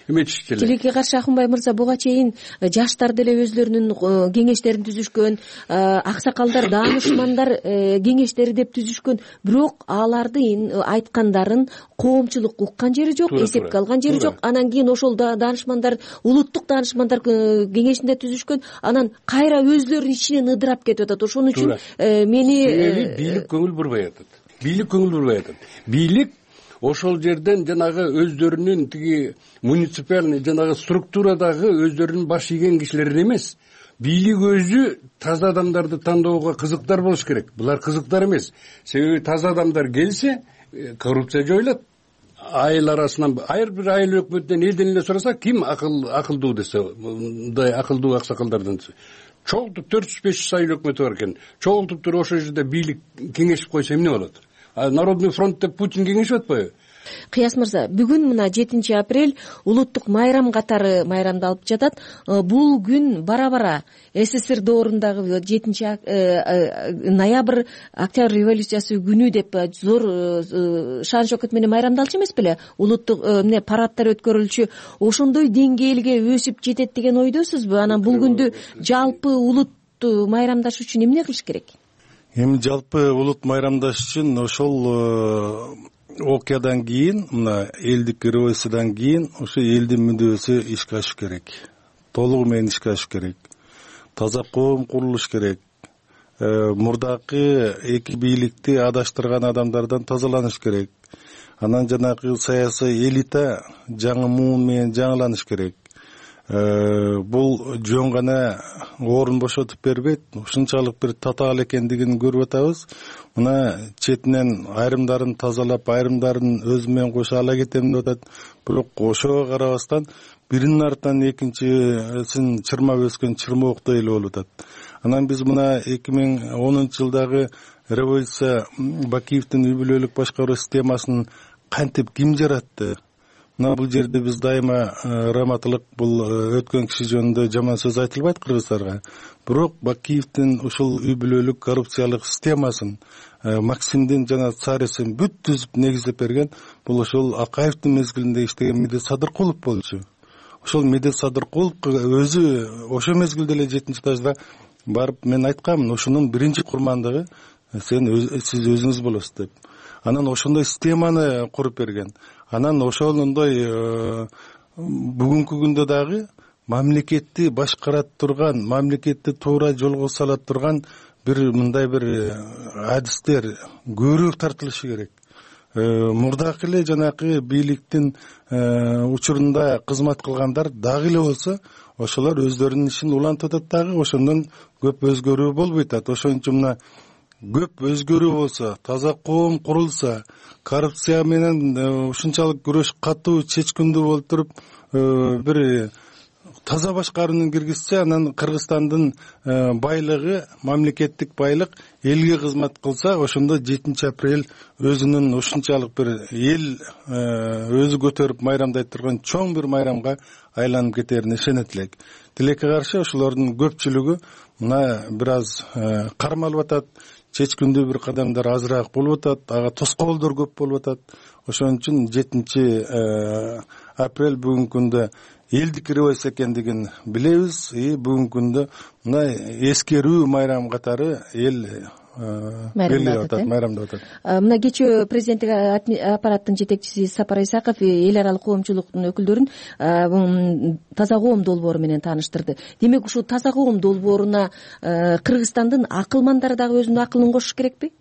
эметишчи эле.
Тилекке каршы Акунбай мырза, буга чейин жаштар деле өзлөрүнүн кеңештерин түзүшкөн, аксакалдар, даанышмандар кеңештери деп түзүшкөн, бирок алардын айткандарын коомчулук уккан жери жок, эсепке алган жери жок. Анан кийин ошол даанышмандар, улуттук даанышмандар кеңешинде түзүшкөн, анан кайра өзлөрүнүн ичинен ыдырап кетип атат. Ошон үчүн мени
бийлик көңүл бурбай атат. бийлик көңүл бурбай атат. Бийлик ошол жерден жанагы өздөрүнүн тиги муниципальный жанагы структурадагы өздөрүнүн баш ийген кишилер эмес. Бийлик өзү таза адамдарды тандоого кызыктар болуш керек. Булар кызыктар эмес. Себеби таза адамдар келсе, коррупция жоюлат. Айыл арасынан ар бир айыл өкмөтүнөн элден эле сураса, ким акылдуу десе, мындай акылдуу аксакалдардан чогултуп 400-500 айыл өкмөтү бар экен. Чогултуп туруп ошол жерде бийлик кеңешип койсо эмне болот? Народный фронт деп Путин кеңешип атпайбы?
Кыяс мырза, бүгүн мына 7 апрель улуттук майрам катары майрамдалып жатат. Бул күн бара-бара СССР доорундагы 7 ноябрь Октябрь революциясы күнү деп зор шан шөкөт менен майрамдалчу эмес беле? Улуттук парадтар өткөрүлчү, ошондой деңгээлге өсүп жетет деген ойдосузбу? Анан бул күндү жалпы улут майрамдаш үчүн эмне кылыш керек?
Эми жалпы улут майрамдаш үчүн ошол окуядан кийин, мына элдик революциядан кийин ошо элдин мүдөөсү ишке ашыш керек. Толугу менен ишке ашыш керек. Таза коом курулуш керек. Мурдакы эки бийликти адаштырган адамдардан тазаланыш керек. Анан жанагы саясий элита жаңы муун менен жаңыланыш керек. Бул жөн гана орун бошотуп бербейт. Ушунчалык бир татаал экендигин көрүп атабыз. Мына четинен айрымдарын тазалап, айрымдарын өзү менен кошо ала кетем деп атат. Бирок ошого карабастан биринин артынан экинчисин чырмап өскөн чырмооктой эле болуп атат. Анан биз мына 2010-жылдагы революция Бакиевдин үй бүлөлүк башкаруу системасын кантип ким жаратты? Мына бул жерде биз дайыма раматылык, бул өткөн киши жөнүндө жаман сөз айтылбайт кыргыздарга. Бирок Бакиевдин ушул үй бүлөлүк коррупциялык системасын, Максимдин жана Царевдин бүт түзүп негиздеп берген бул ошол Акаевдин мезгилинде иштеген Медет Садыркулов болчу. Ошол Медет Садыркулов өзү ошол мезгилде эле 7-этажда барып мен айткамын, ошонун биринчи курмандыгы сиз өзүңүз болосуз деп. Анан ошондой системаны куруп берген. Анан ошондой бүгүнкү күндө дагы мамлекетти башкарат турган, мамлекетти туура жолго сала турган бир мындай бир адистер көбүрөөк тартылышы керек. Мурдакы эле жанакы бийликтин учурунда кызмат кылгандар дагы эле болсо, ошолор өздөрүнүн ишин улантып атат дагы, ошондон көп өзгөрүү болбойт атат. Ошон үчүн мына көп өзгөрүү болсо, таза коом курулса, коррупция менен ушунчалык күрөш катуу, чечкиндүү болуп туруп, бир таза башкарууну киргизсе, анан Кыргызстандын байлыгы, мамлекеттик байлык элге кызмат кылса, ошондо 7 апрель өзүнүн ушунчалык бир эл өзү көтөрүп майрамдайт турган чоң бир майрамга айланып кетерине ишенет элек. Тилекке каршы ошолордун көпчүлүгү мына бир аз кармалып атат, чечкиндүү бир кадамдар азыраак болуп атат, ага тоскоолдор көп болуп атат. Ошон үчүн 7 апрель бүгүнкү күндө элдик революция экендигин билебиз. Бүгүнкү күндө мына эскерүү майрам катары эл майрамдап атат.
Мына кечээ президенттик аппараттын жетекчиси Сапар Исаков эл аралык коомчулуктун өкүлдөрүн таза коом долбоору менен тааныштырды. Демек ушул таза коом долбооруна Кыргызстандын акылмандары дагы өзүнүн акылын кошуш керекпи?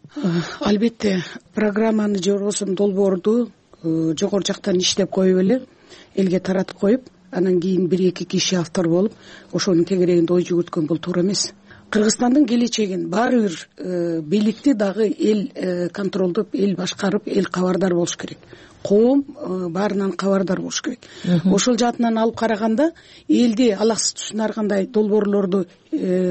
Албетте, программаны же болбосо долбоорду жогору жактан иштеп коюп эле элге таратып коюп, анан кийин 1-2 киши автор болуп, ошонун тегерегинде ой жүгүрткөн бул туура эмес. Кыргызстандын келечегин баары бир бийликти дагы эл контролдоп, эл башкарып, эл кабардар болуш керек. Коом баарынан кабардар болуш керек. Ошол жаатынан алып караганда элди алаксыз түшүнаргандай долбоорлорду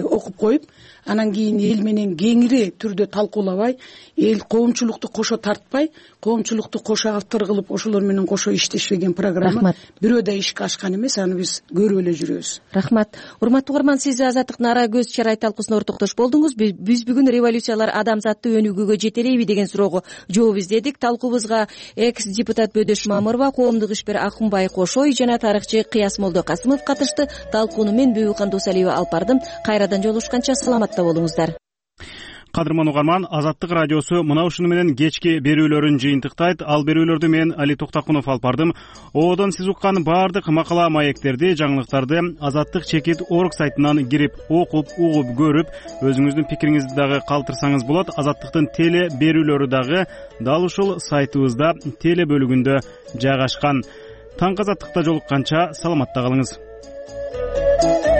окуп коюп, анан кийин эл менен кеңири түрдө талкуулабай, эл коомчулукту кошо тартпай, коомчулукту кошо автор кылып, ошолор менен кошо иштешпеген программа бирөө да ишке ашкан эмес, аны биз көрүп эле жүрөбүз.
Рахмат. Урматтуу угарман, сиз Азаттыктын ара көз чарай талкуусуна ортоктош болдуңуз. Биз бүгүн революциялар адамзатты өнүгүүгө жетелейби деген суроого жооп издедик. Талкуубузга экс-депутат Бөдөш Мамырова, коомдук ишмер Акунбай Кошой жана тарыхчы Кыяс Молдокасымов катышты. Талкууну мен Бүбүкан Досалиева алып бардым. Кайрадан жолугушканча саламатта болуңуздар.
Кадырман угарман, Азаттык радиосу мына ушуну менен кечки берүүлөрүн жыйынтыктайт. Ал берүүлөрдү мен Али Токтакунов алып бардым. Одон сиз уккан баардык макала маектерди, жаңылыктарды azattik.org сайтынан кирип окуп, угуп, көрүп, өзүңүздүн пикириңизди дагы калтырсаңыз болот. Азаттыктын теле берүүлөрү дагы дал ушул сайтыбызда теле бөлүгүндө жайгашкан. Таңкы Азаттыкта жолукканча саламатта калыңыз.